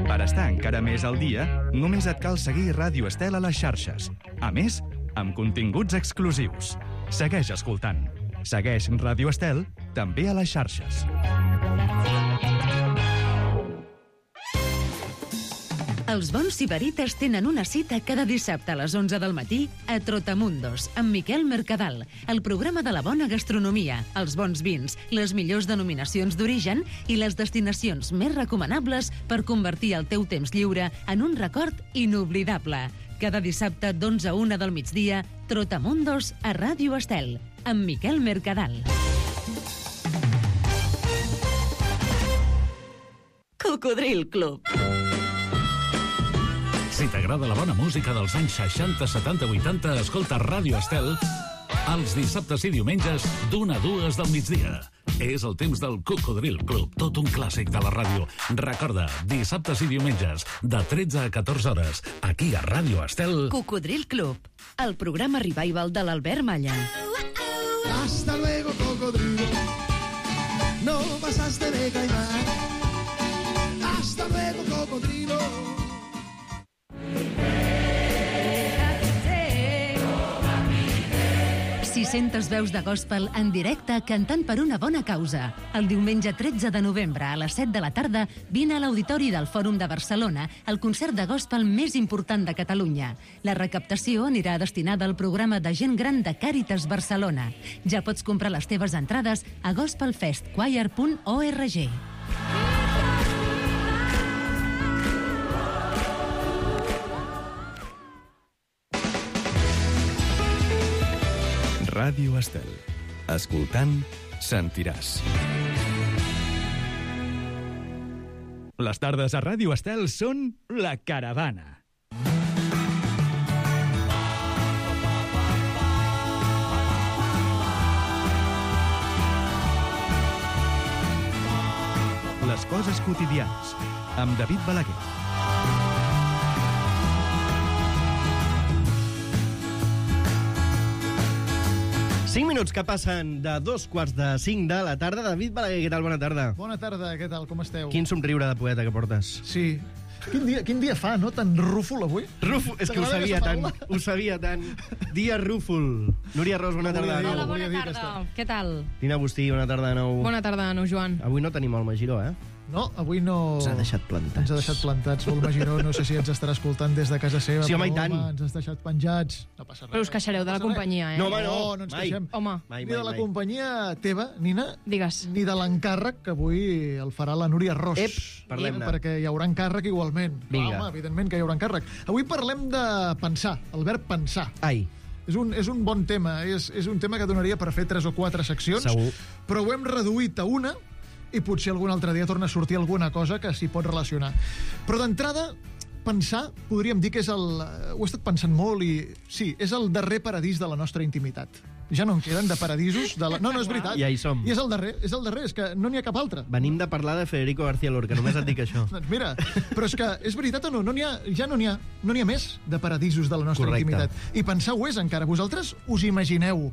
Per estar encara més al dia, només et cal seguir Ràdio Estel a les xarxes. A més, amb continguts exclusius. Segueix escoltant. Segueix Ràdio Estel també a les xarxes. Els bons sibarites tenen una cita cada dissabte a les onze del matí a Trotamundos, amb Miquel Mercadal, el programa de la bona gastronomia, els bons vins, les millors denominacions d'origen i les destinacions més recomanables per convertir el teu temps lliure en un record inoblidable. Cada dissabte d'onze a una del migdia, Trotamundos a Ràdio Estel, amb Miquel Mercadal. Cocodril Club. Si t'agrada la bona música dels anys seixanta, setanta, vuitanta, escolta Ràdio Estel els dissabtes i diumenges d'una a dues del migdia. És el temps del Cocodril Club, tot un clàssic de la ràdio. Recorda, dissabtes i diumenges, de tretze a catorze hores, aquí a Ràdio Estel. Cocodril Club, el programa revival de l'Albert Malla. Hasta luego, cocodrilo. No pasaste de caimán. Hasta luego, cocodrilo. sis-centes veus de gospel en directe cantant per una bona causa. El diumenge tretze de novembre a les set de la tarda vine a l'Auditori del Fòrum de Barcelona el concert de gospel més important de Catalunya. La recaptació anirà destinada al programa de gent gran de Càritas Barcelona. Ja pots comprar les teves entrades a gospel fest choir punt org. Ràdio Estel. Escoltant, sentiràs. Les tardes a Ràdio Estel són La Caravana. Les coses quotidianes, amb David Balaguer. Cinc minuts que passen de dos quarts de cinc de la tarda. David Balaguer, què tal? Bona tarda. Bona tarda, què tal, com esteu? Quin somriure de poeta que portes. Sí. Quin dia, quin dia fa, no? Tan rúfol avui? Rúfol, és que ho T'agrada sabia aquesta tant, paraula? ho sabia tant. Dia rúfol. Núria Ros, bona No volia tarda de dir-ho. nou. Hola, bona volia dir tarda. aquesta. Què tal? Tina Agustí, bona tarda de nou. Bona tarda de nou, Joan. Avui no tenim el Magiró, eh? No, avui no... Ens ha deixat plantats. Ens ha deixat plantats. El Magiró, no sé si ens estarà escoltant des de casa seva. Sí, home, però, i tant. Ens has deixat penjats. No passa res. Però us queixareu de la passa res. companyia, eh? No, home, no. no ens mai. queixem. Home, Mai, Ni mai, de la mai. companyia teva, Nina, digues. ni de l'encàrrec que avui el farà la Núria Ros. Ep, parlem-ne. Perquè hi haurà encàrrec igualment. Vinga. Home, evidentment que hi haurà encàrrec. Avui parlem de pensar, el verb pensar. Ai, És un, és un bon tema, és, és un tema que donaria per fer tres o quatre seccions, Segur. però ho hem reduït a una i potser algun altre dia torna a sortir alguna cosa que s'hi pot relacionar. Però d'entrada, pensar, podríem dir que és el... Ho he estat pensant molt i... Sí, és el darrer paradís de la nostra intimitat. Ja no en queden de paradisos. De la... No, no, és veritat. Ja hi som. I és el darrer, és el darrer, és que no n'hi ha cap altre. Venim de parlar de Federico García Lorca, només et dic això. Doncs mira, però és que és veritat o no? no n'hi ha, ja no n'hi ha, no n'hi ha més de paradisos de la nostra Correcte. intimitat. I pensar ho és encara. Vosaltres us imagineu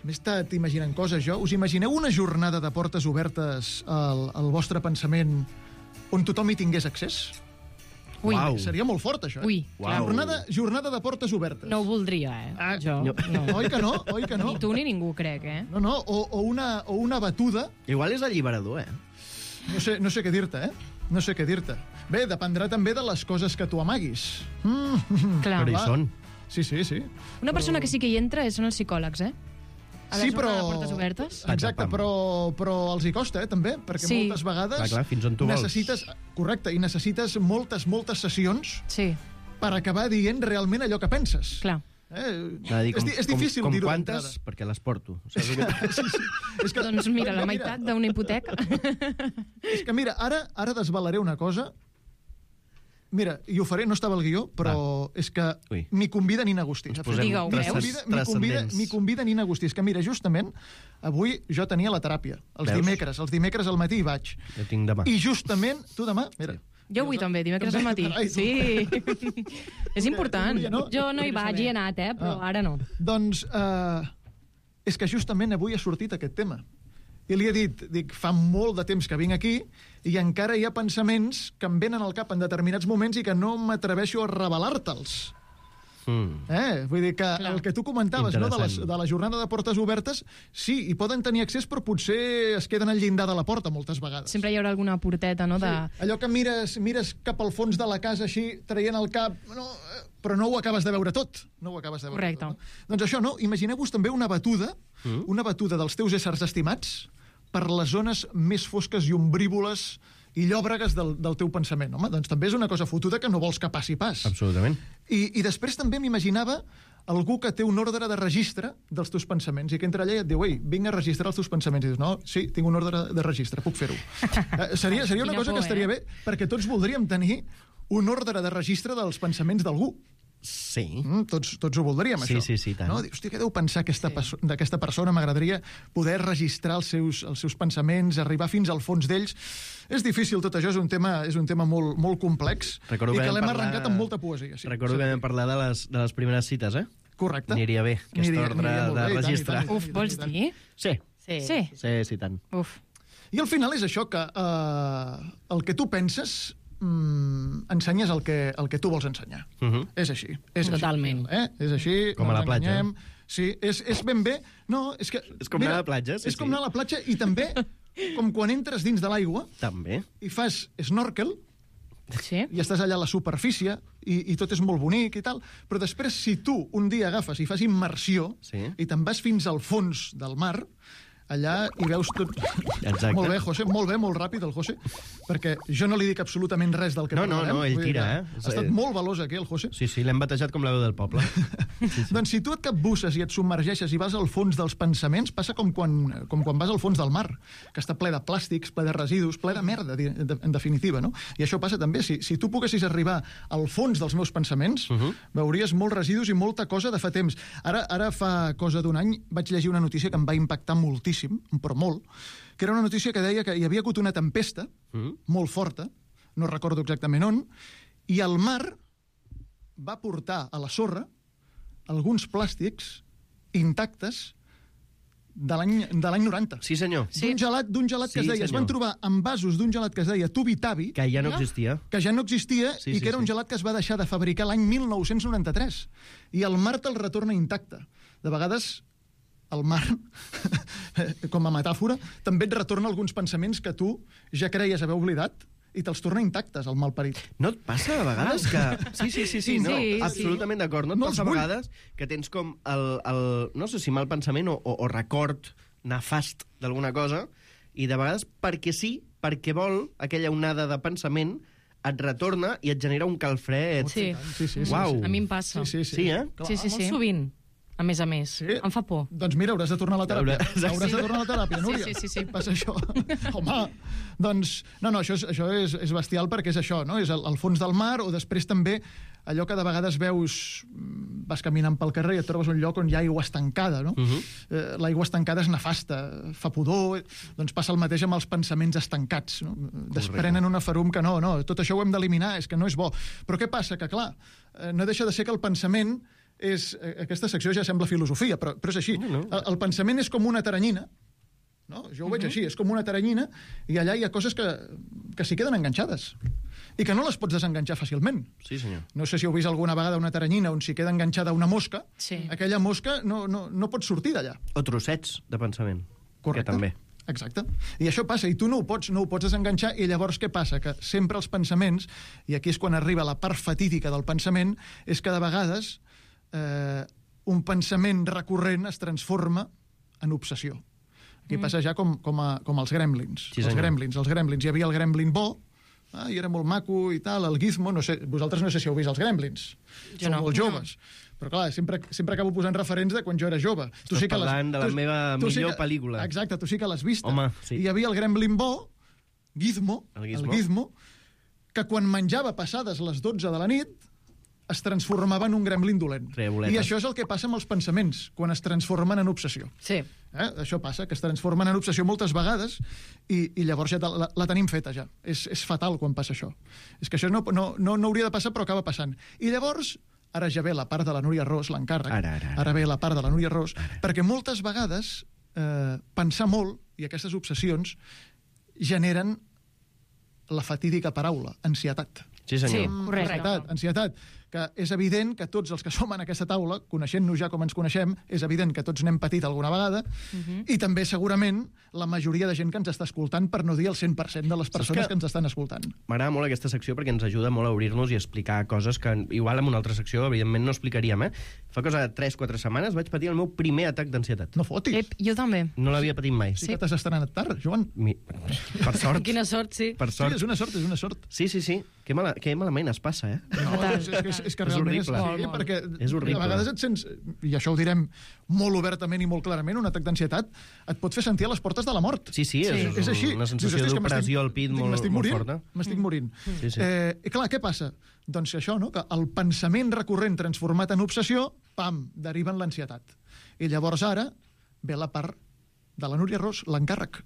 m'he estat imaginant coses, jo. Us imagineu una jornada de portes obertes al, al vostre pensament on tothom hi tingués accés? Ui. Uau. Seria molt fort, això. Eh? Ui. Jornada, jornada de portes obertes. No ho voldria, eh? Ah, jo. no. No. Oi que no? Oi que no? Ni tu ni ningú, crec, eh? No, no, o, o, una, o una batuda. Igual és alliberador, eh? No sé, no sé què dir-te, eh? No sé què dir-te. Bé, dependrà també de les coses que tu amaguis. Mm. Clar. Però hi són. Sí, sí, sí. Una persona que sí que hi entra són els psicòlegs, eh? A la Sí, jornada però... de portes obertes. Exacte, però, però els hi costa, eh, també, perquè Sí. moltes vegades Clar, clar, fins on tu vols. necessites... Correcte, i necessites moltes, moltes sessions Sí. per acabar dient realment allò que penses. Clar. Eh? Anava a dir, és, di- és difícil com, com dir-ho quantes, d'entrada. perquè les porto. Saps què? Sí, sí. És que, Doncs mira, la meitat d'una hipoteca. És que mira, ara, ara desvelaré una cosa. Mira, i ho faré, no estava al guió, però és que Ui. m'hi convida Nina Agustí. Ens saps? posem Digue-ho, M'hi veus? convida, m'hi convida, transcendents. m'hi convida Nina Agustí. És que mira, justament, avui jo tenia la teràpia. Els Veus? dimecres. Els dimecres al matí hi vaig. Jo tinc demà. I justament, tu demà, mira... Jo avui també, dimecres al matí. Carai, tu. Sí. És important. volia, no? Jo no hi vaig, hi he anat, eh? Però Ah. ara no. Doncs eh, és que justament avui ha sortit aquest tema. I li he dit, dic, fa molt de temps que vinc aquí i encara hi ha pensaments que em venen al cap en determinats moments i que no m'atreveixo a revelar-te'ls. Mm. Eh? Vull dir que Clar. el que tu comentaves no, de, les, Interessant. de la jornada de portes obertes, sí, hi poden tenir accés, però potser es queden al llindar de la porta moltes vegades. Sempre hi haurà alguna porteta, no? De... Sí, allò que mires, mires cap al fons de la casa així, traient el cap, no, eh, però no ho acabes de veure tot. No ho acabes de veure Correcte. tot. No? Doncs això, no? Imagineu-vos també una batuda, Mm. una batuda dels teus éssers estimats per les zones més fosques i ombrívoles i llòbregues del, del teu pensament. Home, doncs també és una cosa fotuda que no vols que passi pas. Absolutament. I, I després també m'imaginava algú que té un ordre de registre dels teus pensaments i que entra allà i et diu, ei, vinc a registrar els teus pensaments. I dius, no, sí, tinc un ordre de registre, puc fer-ho. Eh, seria seria una Quina cosa por, que estaria eh? bé, perquè tots voldríem tenir un ordre de registre dels pensaments d'algú. Sí. Mm, tots, tots ho voldríem, Sí, això. sí, sí, tant. No? Dius, hòstia, què deu pensar aquesta sí. d'aquesta persona? M'agradaria poder registrar els seus, els seus pensaments, arribar fins al fons d'ells. És difícil tot això, és un tema, és un tema molt, molt complex Recordo i que que vam l'hem parlar- arrencat amb molta poesia. Sí. Recordo que vam parlar de les, de les primeres cites, eh? Correcte. Aniria bé, aquest Aniria- ordre aniria molt de bé, i tant, i registre. tant, i Uf, tant, vols i tant. Sí, dir? Sí. Sí. sí, sí, tant. Uf. I al final és això, que eh, el que tu penses mm, ensenyes el que, el que tu vols ensenyar. Uh -huh. És així. És Totalment. Així, eh? És així. Com no a la ens platja. enganyem. Sí, és, és ben bé... No, és que... És com anar a la platja, sí, És com sí. anar a la platja i també com quan entres dins de l'aigua També. i fas snorkel Sí. i estàs allà a la superfície i, i tot és molt bonic i tal, però després si tu un dia agafes i fas immersió Sí. i te'n vas fins al fons del mar, allà hi veus tot... Exacte. Molt bé, José, molt bé, molt ràpid el José, perquè jo no li dic absolutament res del que No, no, parlarem. no, ell Vull dir tira, que eh? Ha estat molt veloç aquí, el José. Sí, sí, l'hem batejat com la veu del poble. Sí, sí. Doncs si tu et capbusses i et submergeixes i vas al fons dels pensaments, passa com quan, com quan vas al fons del mar, que està ple de plàstics, ple de residus, ple de merda, di- de- en definitiva, no? I això passa també. Si, si tu poguessis arribar al fons dels meus pensaments, uh -huh. veuries molts residus i molta cosa de fa temps. Ara, ara fa cosa d'un any, vaig llegir una notícia que em va impactar moltíssim, però molt, que era una notícia que deia que hi havia hagut una tempesta uh -huh. molt forta, no recordo exactament on, i el mar va portar a la sorra alguns plàstics intactes de l'any de l'any noranta. Sí, senyor. D'un gelat, d'un gelat que Sí, es deia... Es senyor. van trobar envasos d'un gelat que es deia Tubitabi, Que ja no existia. que ja no existia Sí, i sí, que era un sí. gelat que es va deixar de fabricar l'any mil nou-cents noranta-tres. I el mar te'l retorna intacte. De vegades el mar, com a metàfora, també et retorna alguns pensaments que tu ja creies haver oblidat i te'ls torna intactes, el malparit. No et passa a vegades que... Sí, sí, sí, sí, no, Sí, sí. absolutament d'acord. No et No passa els a vull. vegades que tens com el, el no sé si mal pensament o, o, o record nefast d'alguna cosa i de vegades perquè sí, perquè vol aquella onada de pensament et retorna i et genera un calfred. Sí. Sí, sí, sí. Uau. sí. A mi em passa. Sí, sí, sí. Sí, eh? Sí, sí, Clar, sí. Molt sovint, a més a més. Sí. Em fa por. Doncs mira, hauràs de tornar a la teràpia. Hauràs- Hauràs sí. de tornar a la teràpia, Sí, Núria. sí, sí, sí. Passa això. Home, doncs... No, no, això és, això és, és bestial perquè és això, no? És el, el fons del mar o després també allò que de vegades veus... mm, Vas caminant pel carrer i et trobes un lloc on hi ha aigua estancada, no? Uh -huh. eh, L'aigua estancada és nefasta, fa pudor... Doncs passa el mateix amb els pensaments estancats, no? Desprenen una ferum que no, no, tot això ho hem d'eliminar, és que no és bo. Però què passa? Que, clar, eh, no deixa de ser que el pensament és... Aquesta secció ja sembla filosofia, però, però és així. No, no. El, el pensament és com una taranyina, no? Jo ho veig uh-huh. així, és com una taranyina, i allà hi ha coses que, que s'hi queden enganxades i que no les pots desenganxar fàcilment. Sí, senyor. No sé si heu vist alguna vegada una taranyina on s'hi queda enganxada una mosca, sí. aquella mosca no, no, no pot sortir d'allà. O trossets de pensament. Correcte. Que també. Exacte. I això passa, i tu no ho pots, no ho pots desenganxar, i llavors què passa? Que sempre els pensaments, i aquí és quan arriba la part fatídica del pensament, és que de vegades eh, un pensament recurrent es transforma en obsessió. Aquí mm. passa ja com, com, a, com els gremlins. Sí, els gremlins. Els gremlins. Hi havia el gremlin bo, ah, i era molt maco i tal, el Gizmo, no sé, vosaltres no sé si heu vist els gremlins. Jo Sou no. molt joves. Però clar, sempre, sempre acabo posant referents de quan jo era jove. Tu Estàs sí que parlant les, de la tu, meva tu millor sí que, pel·lícula. Exacte, tu sí que l'has vista. Home, sí. I hi havia el gremlin bo, Gizmo, el Gizmo, el Gizmo, que quan menjava passades les dotze de la nit es transformava en un gremlin dolent. Treboleta. I això és el que passa amb els pensaments, quan es transformen en obsessió. Sí. Eh? Això passa, que es transformen en obsessió moltes vegades i, i llavors ja la, la tenim feta ja. És, és fatal quan passa això. És que això no, no, no, no hauria de passar, però acaba passant. I llavors, ara ja ve la part de la Núria Ros, l'encàrrec. Ara, ara, ara. Ara ve la part de la Núria Ros, ara. Perquè moltes vegades eh, pensar molt i aquestes obsessions generen la fatídica paraula, ansietat. Sí, senyor. Sí, correcte. Ansietat, ansietat, que és evident que tots els que som en aquesta taula, coneixent-nos ja com ens coneixem, és evident que tots n'hem patit alguna vegada, uh-huh. i també segurament la majoria de gent que ens està escoltant, per no dir el cent per cent de les persones que... que ens estan escoltant. M'agrada molt aquesta secció perquè ens ajuda molt a obrir-nos i explicar coses que igual en una altra secció evidentment no explicaríem, eh? Fa cosa de tres quatre setmanes vaig patir el meu primer atac d'ansietat. No fotis. Ep, jo també. No l'havia patit mai. Sí, sí que t'has estrenat tard, Joan. Mi... Per sort. Quina sort, sí. Per sort. Sí, és una sort, és una sort. Sí, sí, sí. Que, mala... que malament es passa, eh? No, és, és, és, és que És realment horrible. és, Molt, sí, molt. perquè És horrible. a vegades et sents, i això ho direm molt obertament i molt clarament, un atac d'ansietat et pot fer sentir a les portes de la mort. Sí, sí, és, és així. una sensació Dius, "Hosti, és que d'opressió m'estic- al pit dic, molt, m'estic molt morint, forta. M'estic morint. Sí, sí. Eh, I clar, què passa? Doncs això, no? Que el pensament recurrent transformat en obsessió, pam, deriva en l'ansietat. I llavors ara ve la part de la Núria Ros, l'encàrrec.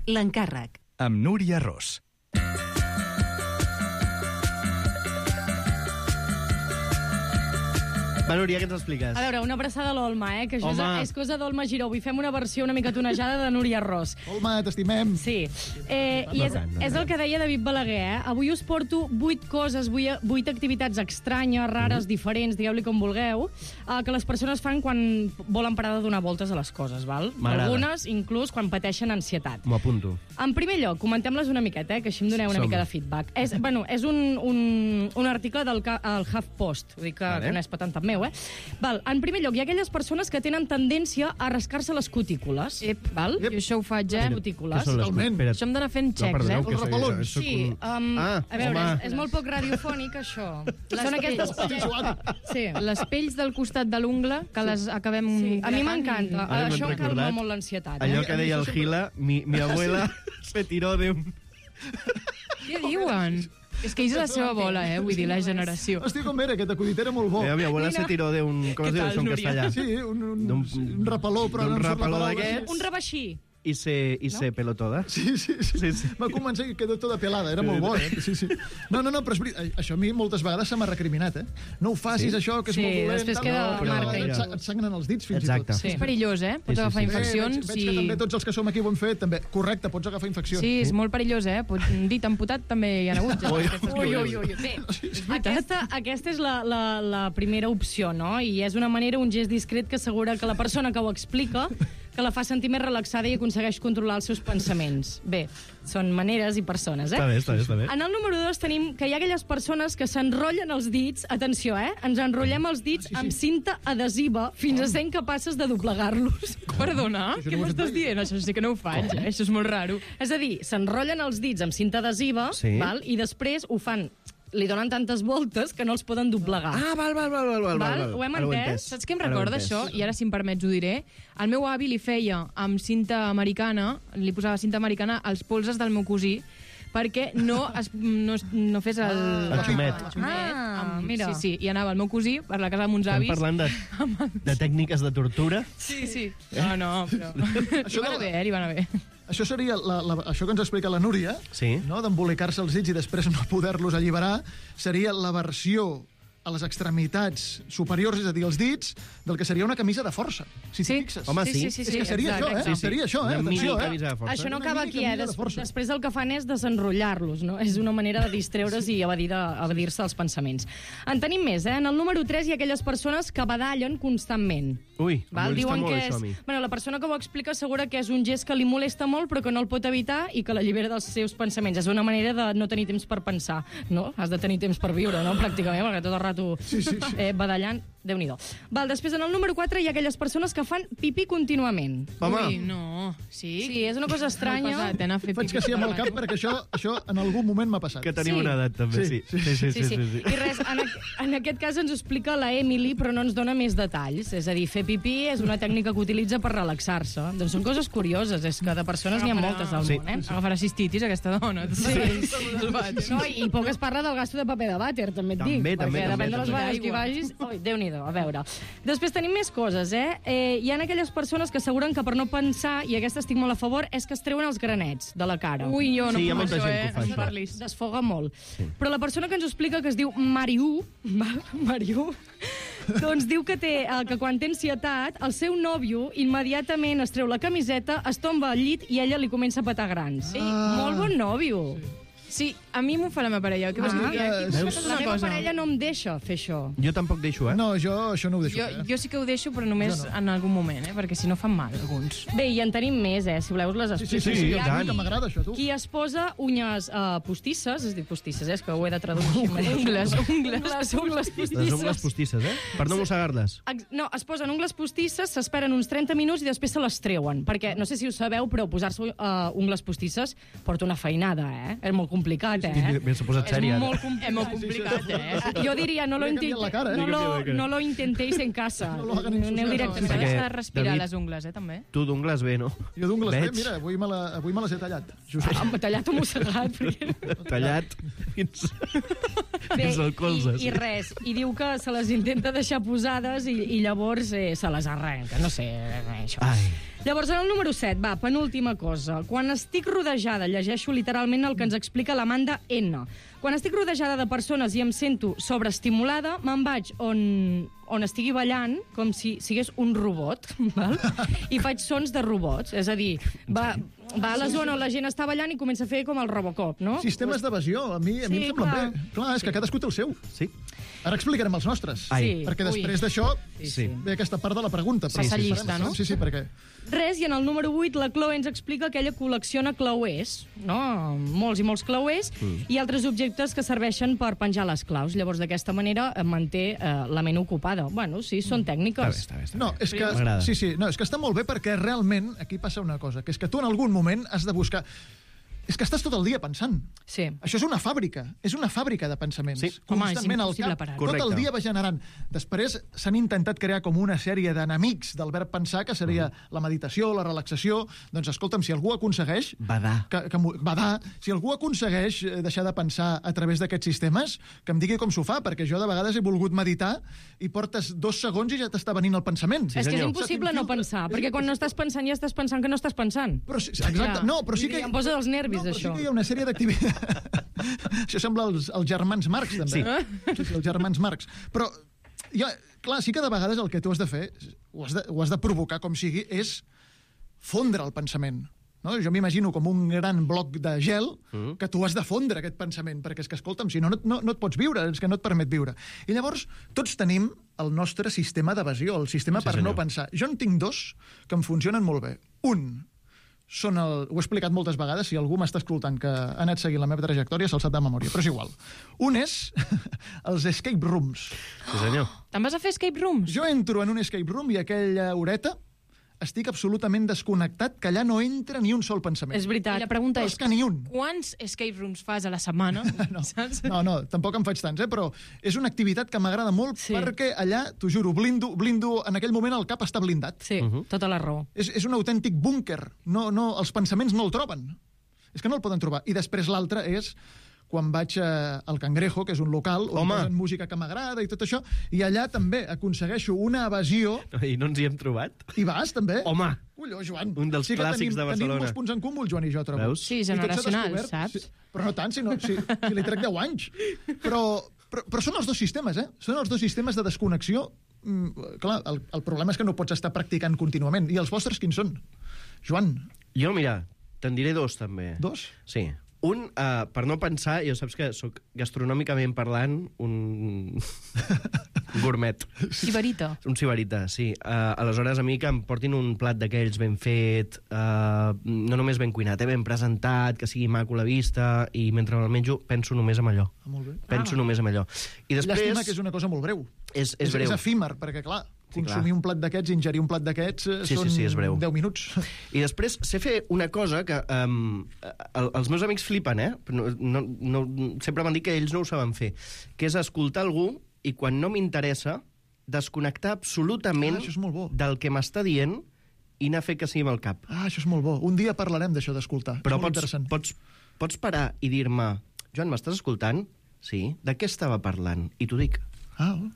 L'encàrrec. Amb Núria Ros. Va, Núria, què ens expliques? A veure, una abraçada a l'Olma, eh? Que això és, Home. és cosa d'Olma Giró. Avui fem una versió una mica tonejada de Núria Ros. Olma, t'estimem. Sí. Eh, I és, és el que deia David Balaguer, eh? Avui us porto vuit coses, vuit, vuit activitats estranyes, rares, mm. diferents, digueu-li com vulgueu, eh, que les persones fan quan volen parar de donar voltes a les coses, val? M'agrada. Algunes, inclús, quan pateixen ansietat. M'ho apunto. En primer lloc, comentem-les una miqueta, eh, que així em doneu una Som. mica de feedback. És, bueno, és un, un, un article del ca- el HuffPost, vull dir que, Vale. que no és patentat meu, eh? Val, en primer lloc, hi ha aquelles persones que tenen tendència a rascar-se les cutícules. Ep, val? Ep. Jo això ho faig, eh? Les Què cutícules. són les Totalment. Espera't. Això hem d'anar fent xecs, perdoneu, eh? que Els soy- repelons. soc Sí, un- um, Ah, a veure, home. és, és molt poc radiofònic, això. Són aquestes... Sí, Joan. Sí. Les pells del costat de l'ungla, que les acabem... Sí. A mi m'encanta. Ara m'han Això calma recordat molt l'ansietat. Allò Eh? que deia el Gila, mi, mi abuela se tiró de un... Què diuen? És que ells és la seva bola, eh? Vull dir, la generació. Hosti, com era, aquest acudit era molt bo. Eh, mi abuela se tiró de un... Com es diu això en castellà? Sí, un, un, D'un- un repeló, però d'un no em surt la repeló paraula. d'aquests. Un rebaixí. I se, i se peló toda. Sí, sí, sí. Sí, sí. Va començar i quedó tota pelada, era molt bo, eh? Sí, sí. No, no, no, però és veritat, això a mi moltes vegades se m'ha recriminat, eh? No ho facis, Sí? això, que és Sí, molt dolent. després tal, queda no, però marca i et, tot. sa- et sangren els dits, fins Exacte. i tot. Sí. És perillós, eh? Pots Sí, sí, agafar sí. Eh, infeccions. veig, veig que també tots els que som aquí ho hem fet, també. Correcte, pots agafar infeccions. Sí, és molt perillós, eh? Pot... Un dit amputat també hi ha hagut. Ja, Ui, aquestes Ui, coses. ui, ui. Bé, aquesta, aquesta és la, la, la primera opció, no? I és una manera, un gest discret que assegura que la persona que ho explica que la fa sentir més relaxada i aconsegueix controlar els seus pensaments. Bé, són maneres i persones, eh? Està bé, està bé, està bé. En el número dos tenim que hi ha aquelles persones que s'enrotllen els dits, atenció, eh? Ens enrotllem els dits amb cinta adhesiva fins a ser incapaces de doblegar-los. Perdona, Això què no ho he m'estàs fet mai. dient? Això sí que no ho faig, eh? Això és molt raro. És a dir, s'enrotllen els dits amb cinta adhesiva, Sí. val? I després ho fan, li donen tantes voltes que no els poden doblegar. Ah, val, val, val, val, val, Val? val. Ho hem Ara entès? Saps què em Ara ho he recorda entès. això? I ara, si em permets, ho diré. El meu avi li feia amb cinta americana, li posava cinta americana als polzes del meu cosí, perquè no, es, no, es- no fes el... El xumet. El xumet Ah, amb, mira. Sí, sí, i anava el meu cosí per la casa de mons Estem avis. parlant de, de tècniques de tortura. Sí, sí. No, no, però... Això Li va de anar la- bé, eh? Li va anar bé. Això seria la, la, això que ens explica la Núria, Sí. no? D'embolicar-se els dits i després no poder-los alliberar, seria la versió a les extremitats superiors, és a dir, els dits, del que seria una camisa de força, si t'hi fixes. Home, sí. És que seria això, eh? Sí, sí. Seria això, eh? Una mini Atenció, camisa de eh? força. Això no Una acaba mini aquí, eh? camisa de Des força. després el que fan és desenrotllar-los, no? És una manera de distreure's i evadir de, evadir-se els pensaments. En tenim més, eh? En el número tres hi ha aquelles persones que badallen constantment. Ui, em Val? molesta Diuen molt que això és... a mi. Bueno, la persona que ho explica assegura que és un gest que li molesta molt però que no el pot evitar i que l'allibera dels seus pensaments. És una manera de no tenir temps per pensar, no? Has de tenir temps per viure, no? Pràcticament, perquè tot el rato Sí, sí, sí. eh, badallant, Déu-n'hi-do. Val, després en el número quatre hi ha aquelles persones que fan pipí contínuament. Home. Ui, no. Sí? Sí, és una cosa estranya. Pesat, eh, anar a fer Faig pipí que sí amb el per cap, perquè això, això en algun moment m'ha passat. Que tenim Sí. una edat, també, sí. Sí, Sí, sí, sí. Sí, sí. I res, en, aqu- en aquest cas ens ho explica la Emily, però no ens dona més detalls. És a dir, fer pipí és una tècnica que utilitza per relaxar-se. Doncs són coses curioses, és que de persones n'hi ha moltes al Sí. món, eh? Agafarà cistitis, aquesta dona. Sí. No, i poc es parla del gasto de paper de vàter, també et També, dic. també, perquè també, depèn de les també. vegades que hi vagis... Ui, Déu-n'hi-do, a veure. Després tenim més coses, eh? eh? Hi ha aquelles persones que asseguren que per no pensar, i aquesta estic molt a favor, és que es treuen els granets de la cara. Ui, jo no Sí, hi ha puc molta això, gent eh? que ho fa, No això. parlis. Desfoga molt. Però la persona que ens ho explica, que es diu Mariu, val? Mariu, doncs diu que, té, eh, que quan té ansietat, el seu nòvio immediatament es treu la camiseta, es tomba al llit i ella li comença a petar grans. Sí. Molt bon nòvio. Sí, a mi m'ho fa la meva parella. Què vols Ah, dir? Aquí veus? passa La una meva cosa. parella no em deixa fer això. Jo tampoc deixo, eh? No, jo això no ho deixo. Jo, eh? jo sí que ho deixo, però només Jo no. en algun moment, eh? Perquè si no fan mal, alguns. Bé, i en tenim més, eh? Si voleu us les Sí, sí, explico. sí, sí, i Hi ha tant. que m'agrada això, tu. Qui es posa unyes uh, postisses, es diu postisses, eh? És que ho he de traduir així. Ungles, ungles. Les ungles postisses. Les ungles postisses, eh? Per no mossegar-les. Ex- No, es posen ungles postisses, s'esperen uns trenta minuts i després se les treuen. Perquè, no sé si ho sabeu, però posar-se uh, ungles postisses porta una feinada, eh? És molt complicat, eh? Bé, s'ha posat sèria, És ara. molt complicat. És molt complicat, eh? Jo diria, no lo, Li ha canviat intente, la cara, eh? no, Li ha lo, canviat la cara. no lo intentéis en casa. No lo hagan en sus Aneu casas. directament. També Perquè, s'ha de respirar David- les ungles, eh, també. Tu d'ungles bé, no? Jo d'ungles bé, Veig. mira, avui me, la, avui me les he tallat. Just Ah, m'ha tallat o mossegat. Perquè... Tallat fins, Bé, fins al colze. i, i res, i diu que se les intenta deixar posades i, i llavors eh, se les arrenca, no sé, eh, això. Ai. Llavors, en el número set, va, penúltima cosa. Quan estic rodejada, llegeixo literalment el que ens explica l'Amanda N. Quan estic rodejada de persones i em sento sobreestimulada, me'n vaig on, on estigui ballant com si sigués un robot, val? I faig sons de robots. És a dir, va, va a la zona on la gent està ballant i comença a fer com el Robocop, no? Sistemes d'evasió, a mi, a mi Sí, em semblen clar. bé. Clar, és que cadascú té el seu. Sí? Ara explicarem els nostres. Ai. Sí. Perquè Ui. després d'això Sí. ve aquesta part de la pregunta. però Passa sí, llista, farem, no? Sí, sí, perquè... Res, i en el número vuit la Chloe ens explica que ella col·lecciona clauers, no? Molts i molts clauers, mm. i altres objectes que serveixen per penjar les claus. Llavors, d'aquesta manera, eh, manté eh, la ment ocupada. Bueno, sí, són tècniques. Està bé, està bé. Està No, bé. és que, M'agrada. sí, sí, no, és que està molt bé perquè realment aquí passa una cosa, que és que tu en algun moment has de buscar... És que estàs tot el dia pensant. Sí. Això és una fàbrica, és una fàbrica de pensaments. Sí. Home, és Constantment al impossible cap, parar. tot el Correcte. dia va generant. Després s'han intentat crear com una sèrie d'enemics del verb pensar, que seria la meditació, la relaxació. Doncs escolta'm, si algú aconsegueix... Badar. Que, que, m'ho- badar. Si algú aconsegueix eh, deixar de pensar a través d'aquests sistemes, que em digui com s'ho fa, perquè jo de vegades he volgut meditar i portes dos segons i ja t'està venint el pensament. És que és senyor. impossible no pensar, perquè quan no estàs pensant ja estàs pensant que no estàs pensant. Però, sí, exacte, Ja. no, però sí que... Em posa dels nervis, no, però això. Sí que hi ha una sèrie d'activitats... Això sembla els, els germans Marx, també. Sí. sí, sí els germans Marx. Però, ja, clar, sí que de vegades el que tu has de fer, ho has de, ho has de provocar com sigui, és fondre el pensament. No? Jo m'imagino com un gran bloc de gel Mm. que tu has de fondre aquest pensament, perquè és que, escolta'm, si no, no, no, no et pots viure, és que no et permet viure. I llavors, tots tenim el nostre sistema d'evasió, el sistema Sí, per senyor. no pensar. Jo en tinc dos que em funcionen molt bé. Un, són el... Ho he explicat moltes vegades, si algú m'està escoltant que ha anat seguint la meva trajectòria, se'l sap de memòria, però és igual. Un és els escape rooms. Sí, senyor. Te'n vas a fer escape rooms? Jo entro en un escape room i aquella horeta estic absolutament desconnectat, que allà no entra ni un sol pensament. És veritat. I la pregunta Però és, és que ni un. quants escape rooms fas a la setmana? No, Saps? no, no, tampoc en faig tants, eh? Però és una activitat que m'agrada molt Sí. perquè allà, t'ho juro, blindo, blindo, en aquell moment el cap està blindat. Sí, uh -huh. tota la raó. És, és un autèntic búnquer. No, no, els pensaments no el troben. És que no el poden trobar. I després l'altre és quan vaig a, al Cangrejo, que és un local on Home. posen música que m'agrada i tot això, i allà també aconsegueixo una evasió. I no ens hi hem trobat? I vas, també? Home! Colló, Joan. Un dels sí que clàssics tenim, de Barcelona. Tenim molts punts en comú, el Joan i jo, trobo. Veus? Sí, I tot s'ha generacionals, descobert. saps? Sí, però no tant, si, no, si, si li trec deu anys. Però Però, però són els dos sistemes, eh? Són els dos sistemes de desconnexió. Mm, clar, el, el problema és que no pots estar practicant contínuament. I els vostres quins són? Joan? Jo, mira, te'n diré dos, també. Dos? Sí. Un, uh, per no pensar, jo saps que sóc gastronòmicament parlant un gourmet. Sibarita. Un sibarita, sí. Uh, aleshores, a mi que em portin un plat d'aquells ben fet, uh, no només ben cuinat, eh, ben presentat, que sigui maco la vista, i mentre me'l menjo penso només en allò. Ah, molt bé. Penso ah. només en allò. I després... Llàstima que és una cosa molt breu. És, és, és breu. És efímer, perquè, clar, Sí, consumir clar. un plat d'aquests, ingerir un plat d'aquests, Sí, són sí, sí, és breu. deu minuts. I després sé fer una cosa que um, el, els meus amics flipen, eh? No, no, no, sempre m'han dit que ells no ho saben fer, que és escoltar algú i quan no m'interessa desconnectar absolutament Ah, això és molt bo. del que m'està dient i anar a fer que sigui amb el cap. Ah, això és molt bo. Un dia parlarem d'això, d'escoltar. Però és molt pots, interessant. pots, pots parar i dir-me Joan, m'estàs escoltant? Sí. De què estava parlant? I t'ho dic. Ah, oh.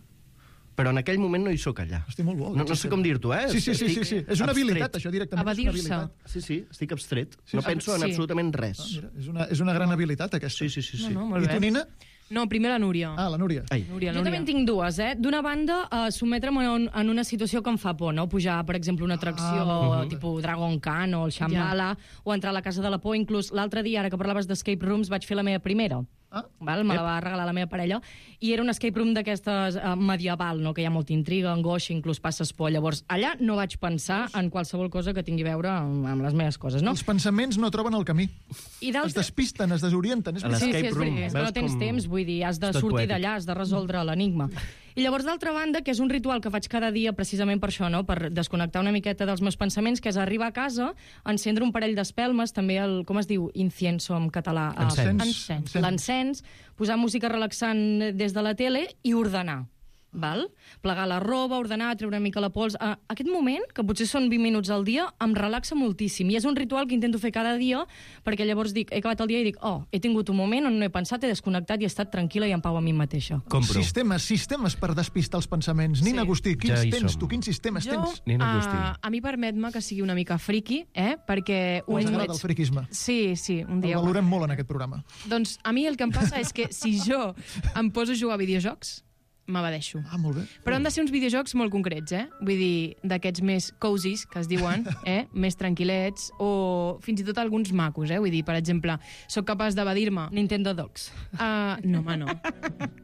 Però en aquell moment no hi sóc allà. Estic molt bo. No, no sé com dir-t'ho, eh? Sí, sí, sí, sí, sí. És una abstret. habilitat, això, directament. És una Evadir-se. habilitat. Sí, sí, estic abstret. Sí, no sí. penso en Sí. absolutament res. Ah, mira, és, una, és una gran habilitat, aquesta. Sí, sí, sí. sí. No, no, molt I bé. tu, Nina? No, primer la Núria. Ah, la Núria. Ai. Núria, Jo Núria. també en tinc dues, eh? D'una banda, eh, sotmetre'm en, en una situació que em fa por, no? Pujar, per exemple, una atracció Ah, ah, tipus Dragon Khan o el Shambhala, ja. o entrar a la Casa de la Por. Inclús l'altre dia, ara que parlaves d'escape rooms, vaig fer la meva primera. Ah. Val? Me la va regalar la meva parella. I era un escape room d'aquestes eh, medieval, no? Que hi ha molta intriga, angoixa, inclús passes por. Llavors, allà no vaig pensar en qualsevol cosa que tingui a veure amb, amb les meves coses, no? Els pensaments no troben el camí. I Es despisten, es desorienten. És A Sí, sí, l'escape és room. veritat, és que no Veus tens com- temps, vull dir, has de És tot sortir poètic. d'allà, has de resoldre l'enigma. I llavors, d'altra banda, que és un ritual que faig cada dia precisament per això, no? Per desconnectar una miqueta dels meus pensaments, que és arribar a casa, encendre un parell d'espelmes, també el, com es diu, incienso en català? Eh, Encens. Encens. L'encens, posar música relaxant des de la tele i ordenar. Val? Plegar la roba, ordenar, treure una mica la pols. Uh, aquest moment, que potser són vint minuts al dia, em relaxa moltíssim. I és un ritual que intento fer cada dia, perquè llavors dic, he acabat el dia i dic, oh, he tingut un moment on no he pensat, he desconnectat i he estat tranquil·la i en pau a mi mateixa. Compro. Sistemes, sistemes per despistar els pensaments. Nina Agustí, quins Ja hi tens som. tu? Quins sistemes Jo, tens? Nina Agustí. uh, a mi permet-me que sigui una mica friqui, eh? Perquè... Us un agrada el friquisme? Sí, sí, un El dia... ho- valorem molt en aquest programa. Doncs a mi el que em passa és que si jo em poso a jugar a videojocs, m'abadeixo. Ah, molt bé. Però han de ser uns videojocs molt concrets, eh? Vull dir, d'aquests més cozies, que es diuen, eh? Més tranquil·lets, o fins i tot alguns macos, eh? Vull dir, per exemple, sóc capaç d'evadir-me... Nintendo Dogs. Uh, no, home, no.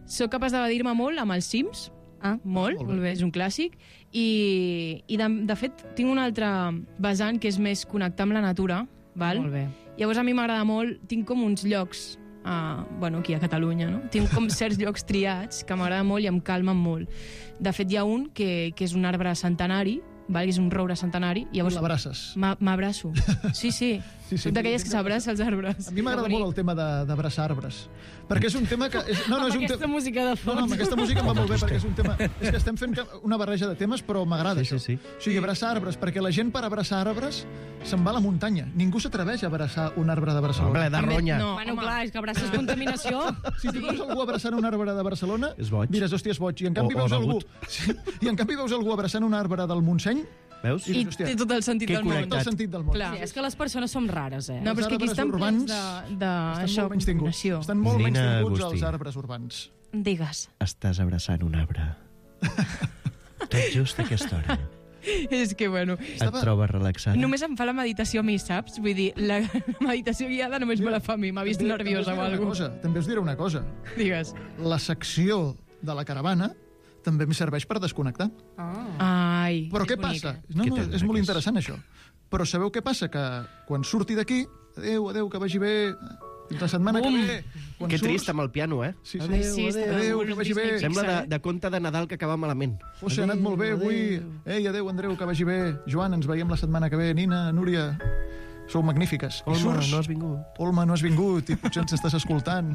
Sóc capaç d'evadir-me molt amb els Sims, Ah, molt, molt bé. molt bé, és un clàssic, i, i de, de fet tinc un altre vessant que és més connectar amb la natura, val? Molt bé. Llavors a mi m'agrada molt, tinc com uns llocs, uh, bueno, aquí a Catalunya, no? Tinc com certs llocs triats que m'agrada molt i em calmen molt. De fet, hi ha un que, que és un arbre centenari, val? Que és un roure centenari, i llavors L'abraces. m'a- m'abraço. Sí, sí, Sí, sí. soc d'aquelles que s'abraça els arbres. A mi m'agrada molt el tema de- d'abraçar arbres. Perquè és un tema que... És, no, no, és Amb un aquesta te... música de No, fons. no, amb aquesta música em va molt bé, perquè és un tema... És que estem fent ca- una barreja de temes, però m'agrada Sí, això. sí, sí. O sigui, abraçar arbres, perquè la gent per abraçar arbres se'n va a la muntanya. Ningú s'atreveix a abraçar un arbre de Barcelona. Home, de ronya. No, Bueno, home. clar, és que abraces contaminació. Si tu veus algú abraçant un arbre de Barcelona, És boig. diràs, hòstia, és boig. I en canvi O- o veus algú... begut. Sí, I en canvi veus algú abraçant un arbre del Montseny, Veus? I hòstia, té tot el sentit que del món. tot el sentit del món. Clar. Sí, és que les persones som rares, eh? No, però és que aquí Els estan arbres plens urbans de, de Estan això, molt menys tinguts. contaminació. Estan molt menys Nina tinguts Agustí. els arbres urbans. Digues. Estàs abraçant un arbre. Tot just a aquesta hora. És que, bueno... Et trobes relaxada? Només em fa la meditació a mi, saps? Vull dir, la meditació guiada només me la fa a mi. M'ha vist També- nerviosa o també us diré una alguna cosa, També us diré una cosa. Digues. La secció de la caravana també em serveix per desconnectar. Ai, Però és què bonica. passa? No, Què no, tens, és molt aquests? interessant, això. Però sabeu què passa? Que quan surti d'aquí, adéu, adéu, que vagi bé, fins la setmana Bum. que ve. Quan Que surts- trist amb el piano, eh? Sí, sí. Ai, sí, està adéu, molt que vagi bé. Disney Sembla de, Pixar, eh? de conte de Nadal que acaba malament. José, ha anat molt bé avui. Ei, adéu, Andreu, que vagi bé. Joan, ens veiem la setmana que ve. Nina, Núria, sou magnífiques. I Olma, surts, no has vingut. Olma, no has vingut i potser ens estàs escoltant.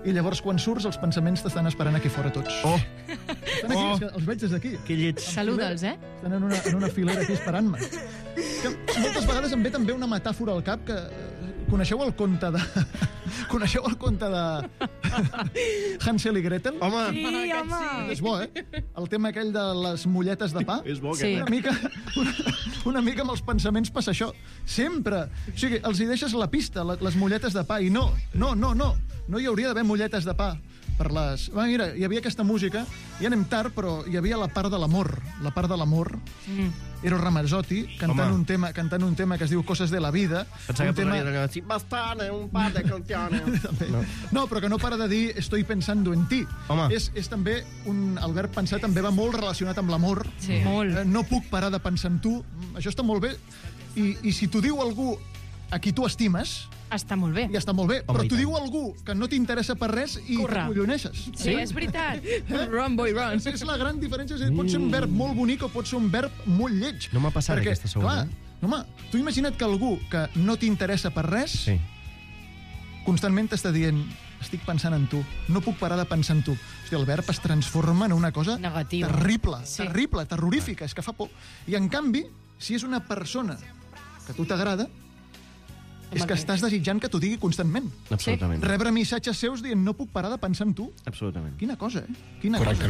I llavors, quan surts, els pensaments t'estan esperant aquí fora tots. Oh, Estan aquí, Oh. és que els veig des d'aquí. que lleig. Saluda'ls, eh? Estan en una, en una filera aquí esperant-me. Que moltes vegades em ve també una metàfora al cap que... eh, Coneixeu el conte de... Coneixeu el conte de Hansel i Gretel? Home, Sí, home. És bo, eh? El tema aquell de les molletes de pa. és bo Sí. que... Una mica, una, una mica amb els pensaments passa això. Sempre. O sigui, els hi deixes la pista, la- les molletes de pa, i no, no, no, no. no hi hauria d'haver molletes de pa per les... Va, mira, hi havia aquesta música, ja anem tard, però hi havia la part de l'amor. La part de l'amor. Mm. Eros Ramazzotti, cantant un, tema, cantant un tema que es diu Coses de la vida. Pensava un que tema... podria dir bastante, un par de canciones. no. no, però que no para de dir estoy pensando en ti. Home. És, és també un... El verb pensar també va molt relacionat amb l'amor. Sí. Molt. Eh, no puc parar de pensar en tu. Això està molt bé. I, i si t'ho diu algú a qui tu estimes... Està molt bé. Ja està molt bé, Home, però i t'ho tant. diu algú que no t'interessa per res i Corre. t'acolloneixes. Sí, és veritat. Run, boy, run. És, és la gran diferència. És, pot ser un verb molt bonic o pot ser un verb molt lleig. No m'ha passat Perquè, aquesta segona. Clar, home, tu imagina't que algú que no t'interessa per res Sí. constantment t'està dient estic pensant en tu, no puc parar de pensar en tu. Hòstia, el verb es transforma en una cosa Negativa. terrible, Sí. terrible, terrorífica, és que fa por. I en canvi, si és una persona que a tu t'agrada, és que estàs desitjant que t'ho digui constantment. Absolutament. Rebre missatges seus dient no puc parar de pensar en tu. Absolutament. Quina cosa, eh? Quina cosa.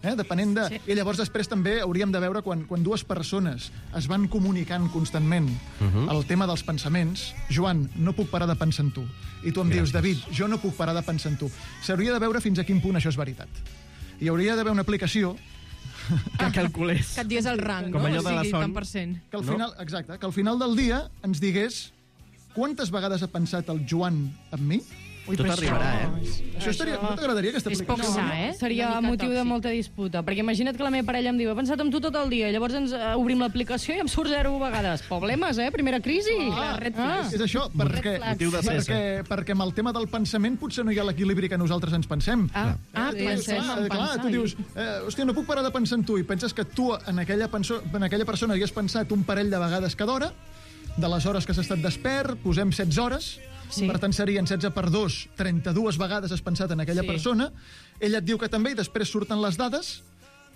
Eh? Depenent de... Sí. I llavors després també hauríem de veure quan, quan dues persones es van comunicant constantment uh -huh. el tema dels pensaments. Joan, no puc parar de pensar en tu. I tu em Gràcies. dius, David, jo no puc parar de pensar en tu. S'hauria de veure fins a quin punt això és veritat. Hi hauria d'haver una aplicació que calculés. Que et digués el rang, Com no? allò O de la sigui, son. tant per cent. que al No? final, exacte, que al final del dia ens digués quantes vegades ha pensat el Joan en mi? Ui, Tot arribarà, eh? Això estaria... No t'agradaria, aquesta És aplicació? poc sa, eh? Seria Una mica motiu de tòxic. molta disputa, perquè imagina't que la meva parella em diu he pensat en tu tot el dia, i llavors ens uh, obrim l'aplicació i em surt zero vegades. Problemes, eh? Primera crisi. Ah, ah. És això, perquè, Motiu de cessa. perquè, perquè amb el tema del pensament potser no hi ha l'equilibri que nosaltres ens pensem. Ah, ah, Tu pensem dius, en clar, clar, pensar. tu dius, eh, hòstia, no puc parar de pensar en tu, i penses que tu en aquella, penso, en aquella persona hi has pensat un parell de vegades cada hora, de les hores que has estat despert, posem setze hores, Sí. per tant serien setze per dos, trenta-dues vegades has pensat en aquella Sí. persona, ella et diu que també, i després surten les dades,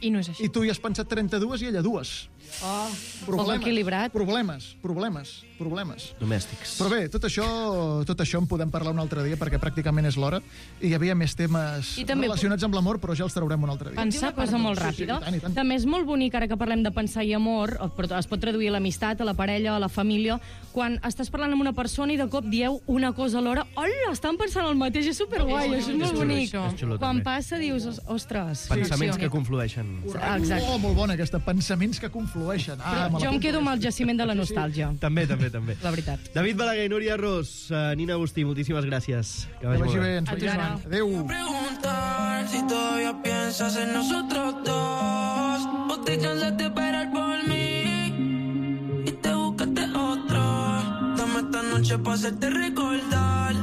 I no és així. i tu hi has pensat trenta-dues i ella dues. Oh, poc equilibrat. Problemes, problemes, problemes. Domèstics. Però bé, tot això, tot això en podem parlar un altre dia, perquè pràcticament és l'hora, i hi havia més temes I també- relacionats amb l'amor, però ja els traurem un altre dia. Pensar cosa molt Sí, sí, ràpida. i tant, i tant. També és molt bonic, ara que parlem de pensar i amor, però es pot traduir a l'amistat, a la parella, a la família, quan estàs parlant amb una persona i de cop dieu una cosa alhora, hola, estan pensant el mateix, és superguai, això és molt xulo, bonic. és xulo, Quan també. passa dius, "Os- ostres. Pensaments sí, que conflueixen. Exacte. Oh, molt bona aquesta, pensaments que conflueixen. Ah, Però jo em quedo amb el jaciment de la nostàlgia. També, també, també. La veritat. David Balaguer i Núria Ros, uh, Nina Agustí, moltíssimes gràcies. Que Que vagi molt vagi bé. bé, ens A tu, veiem. Joan. Adéu. Preguntar si todavía piensas en nosotros dos o te cansas de esperar por mí y te buscaste otro. Dame esta noche para hacerte recordar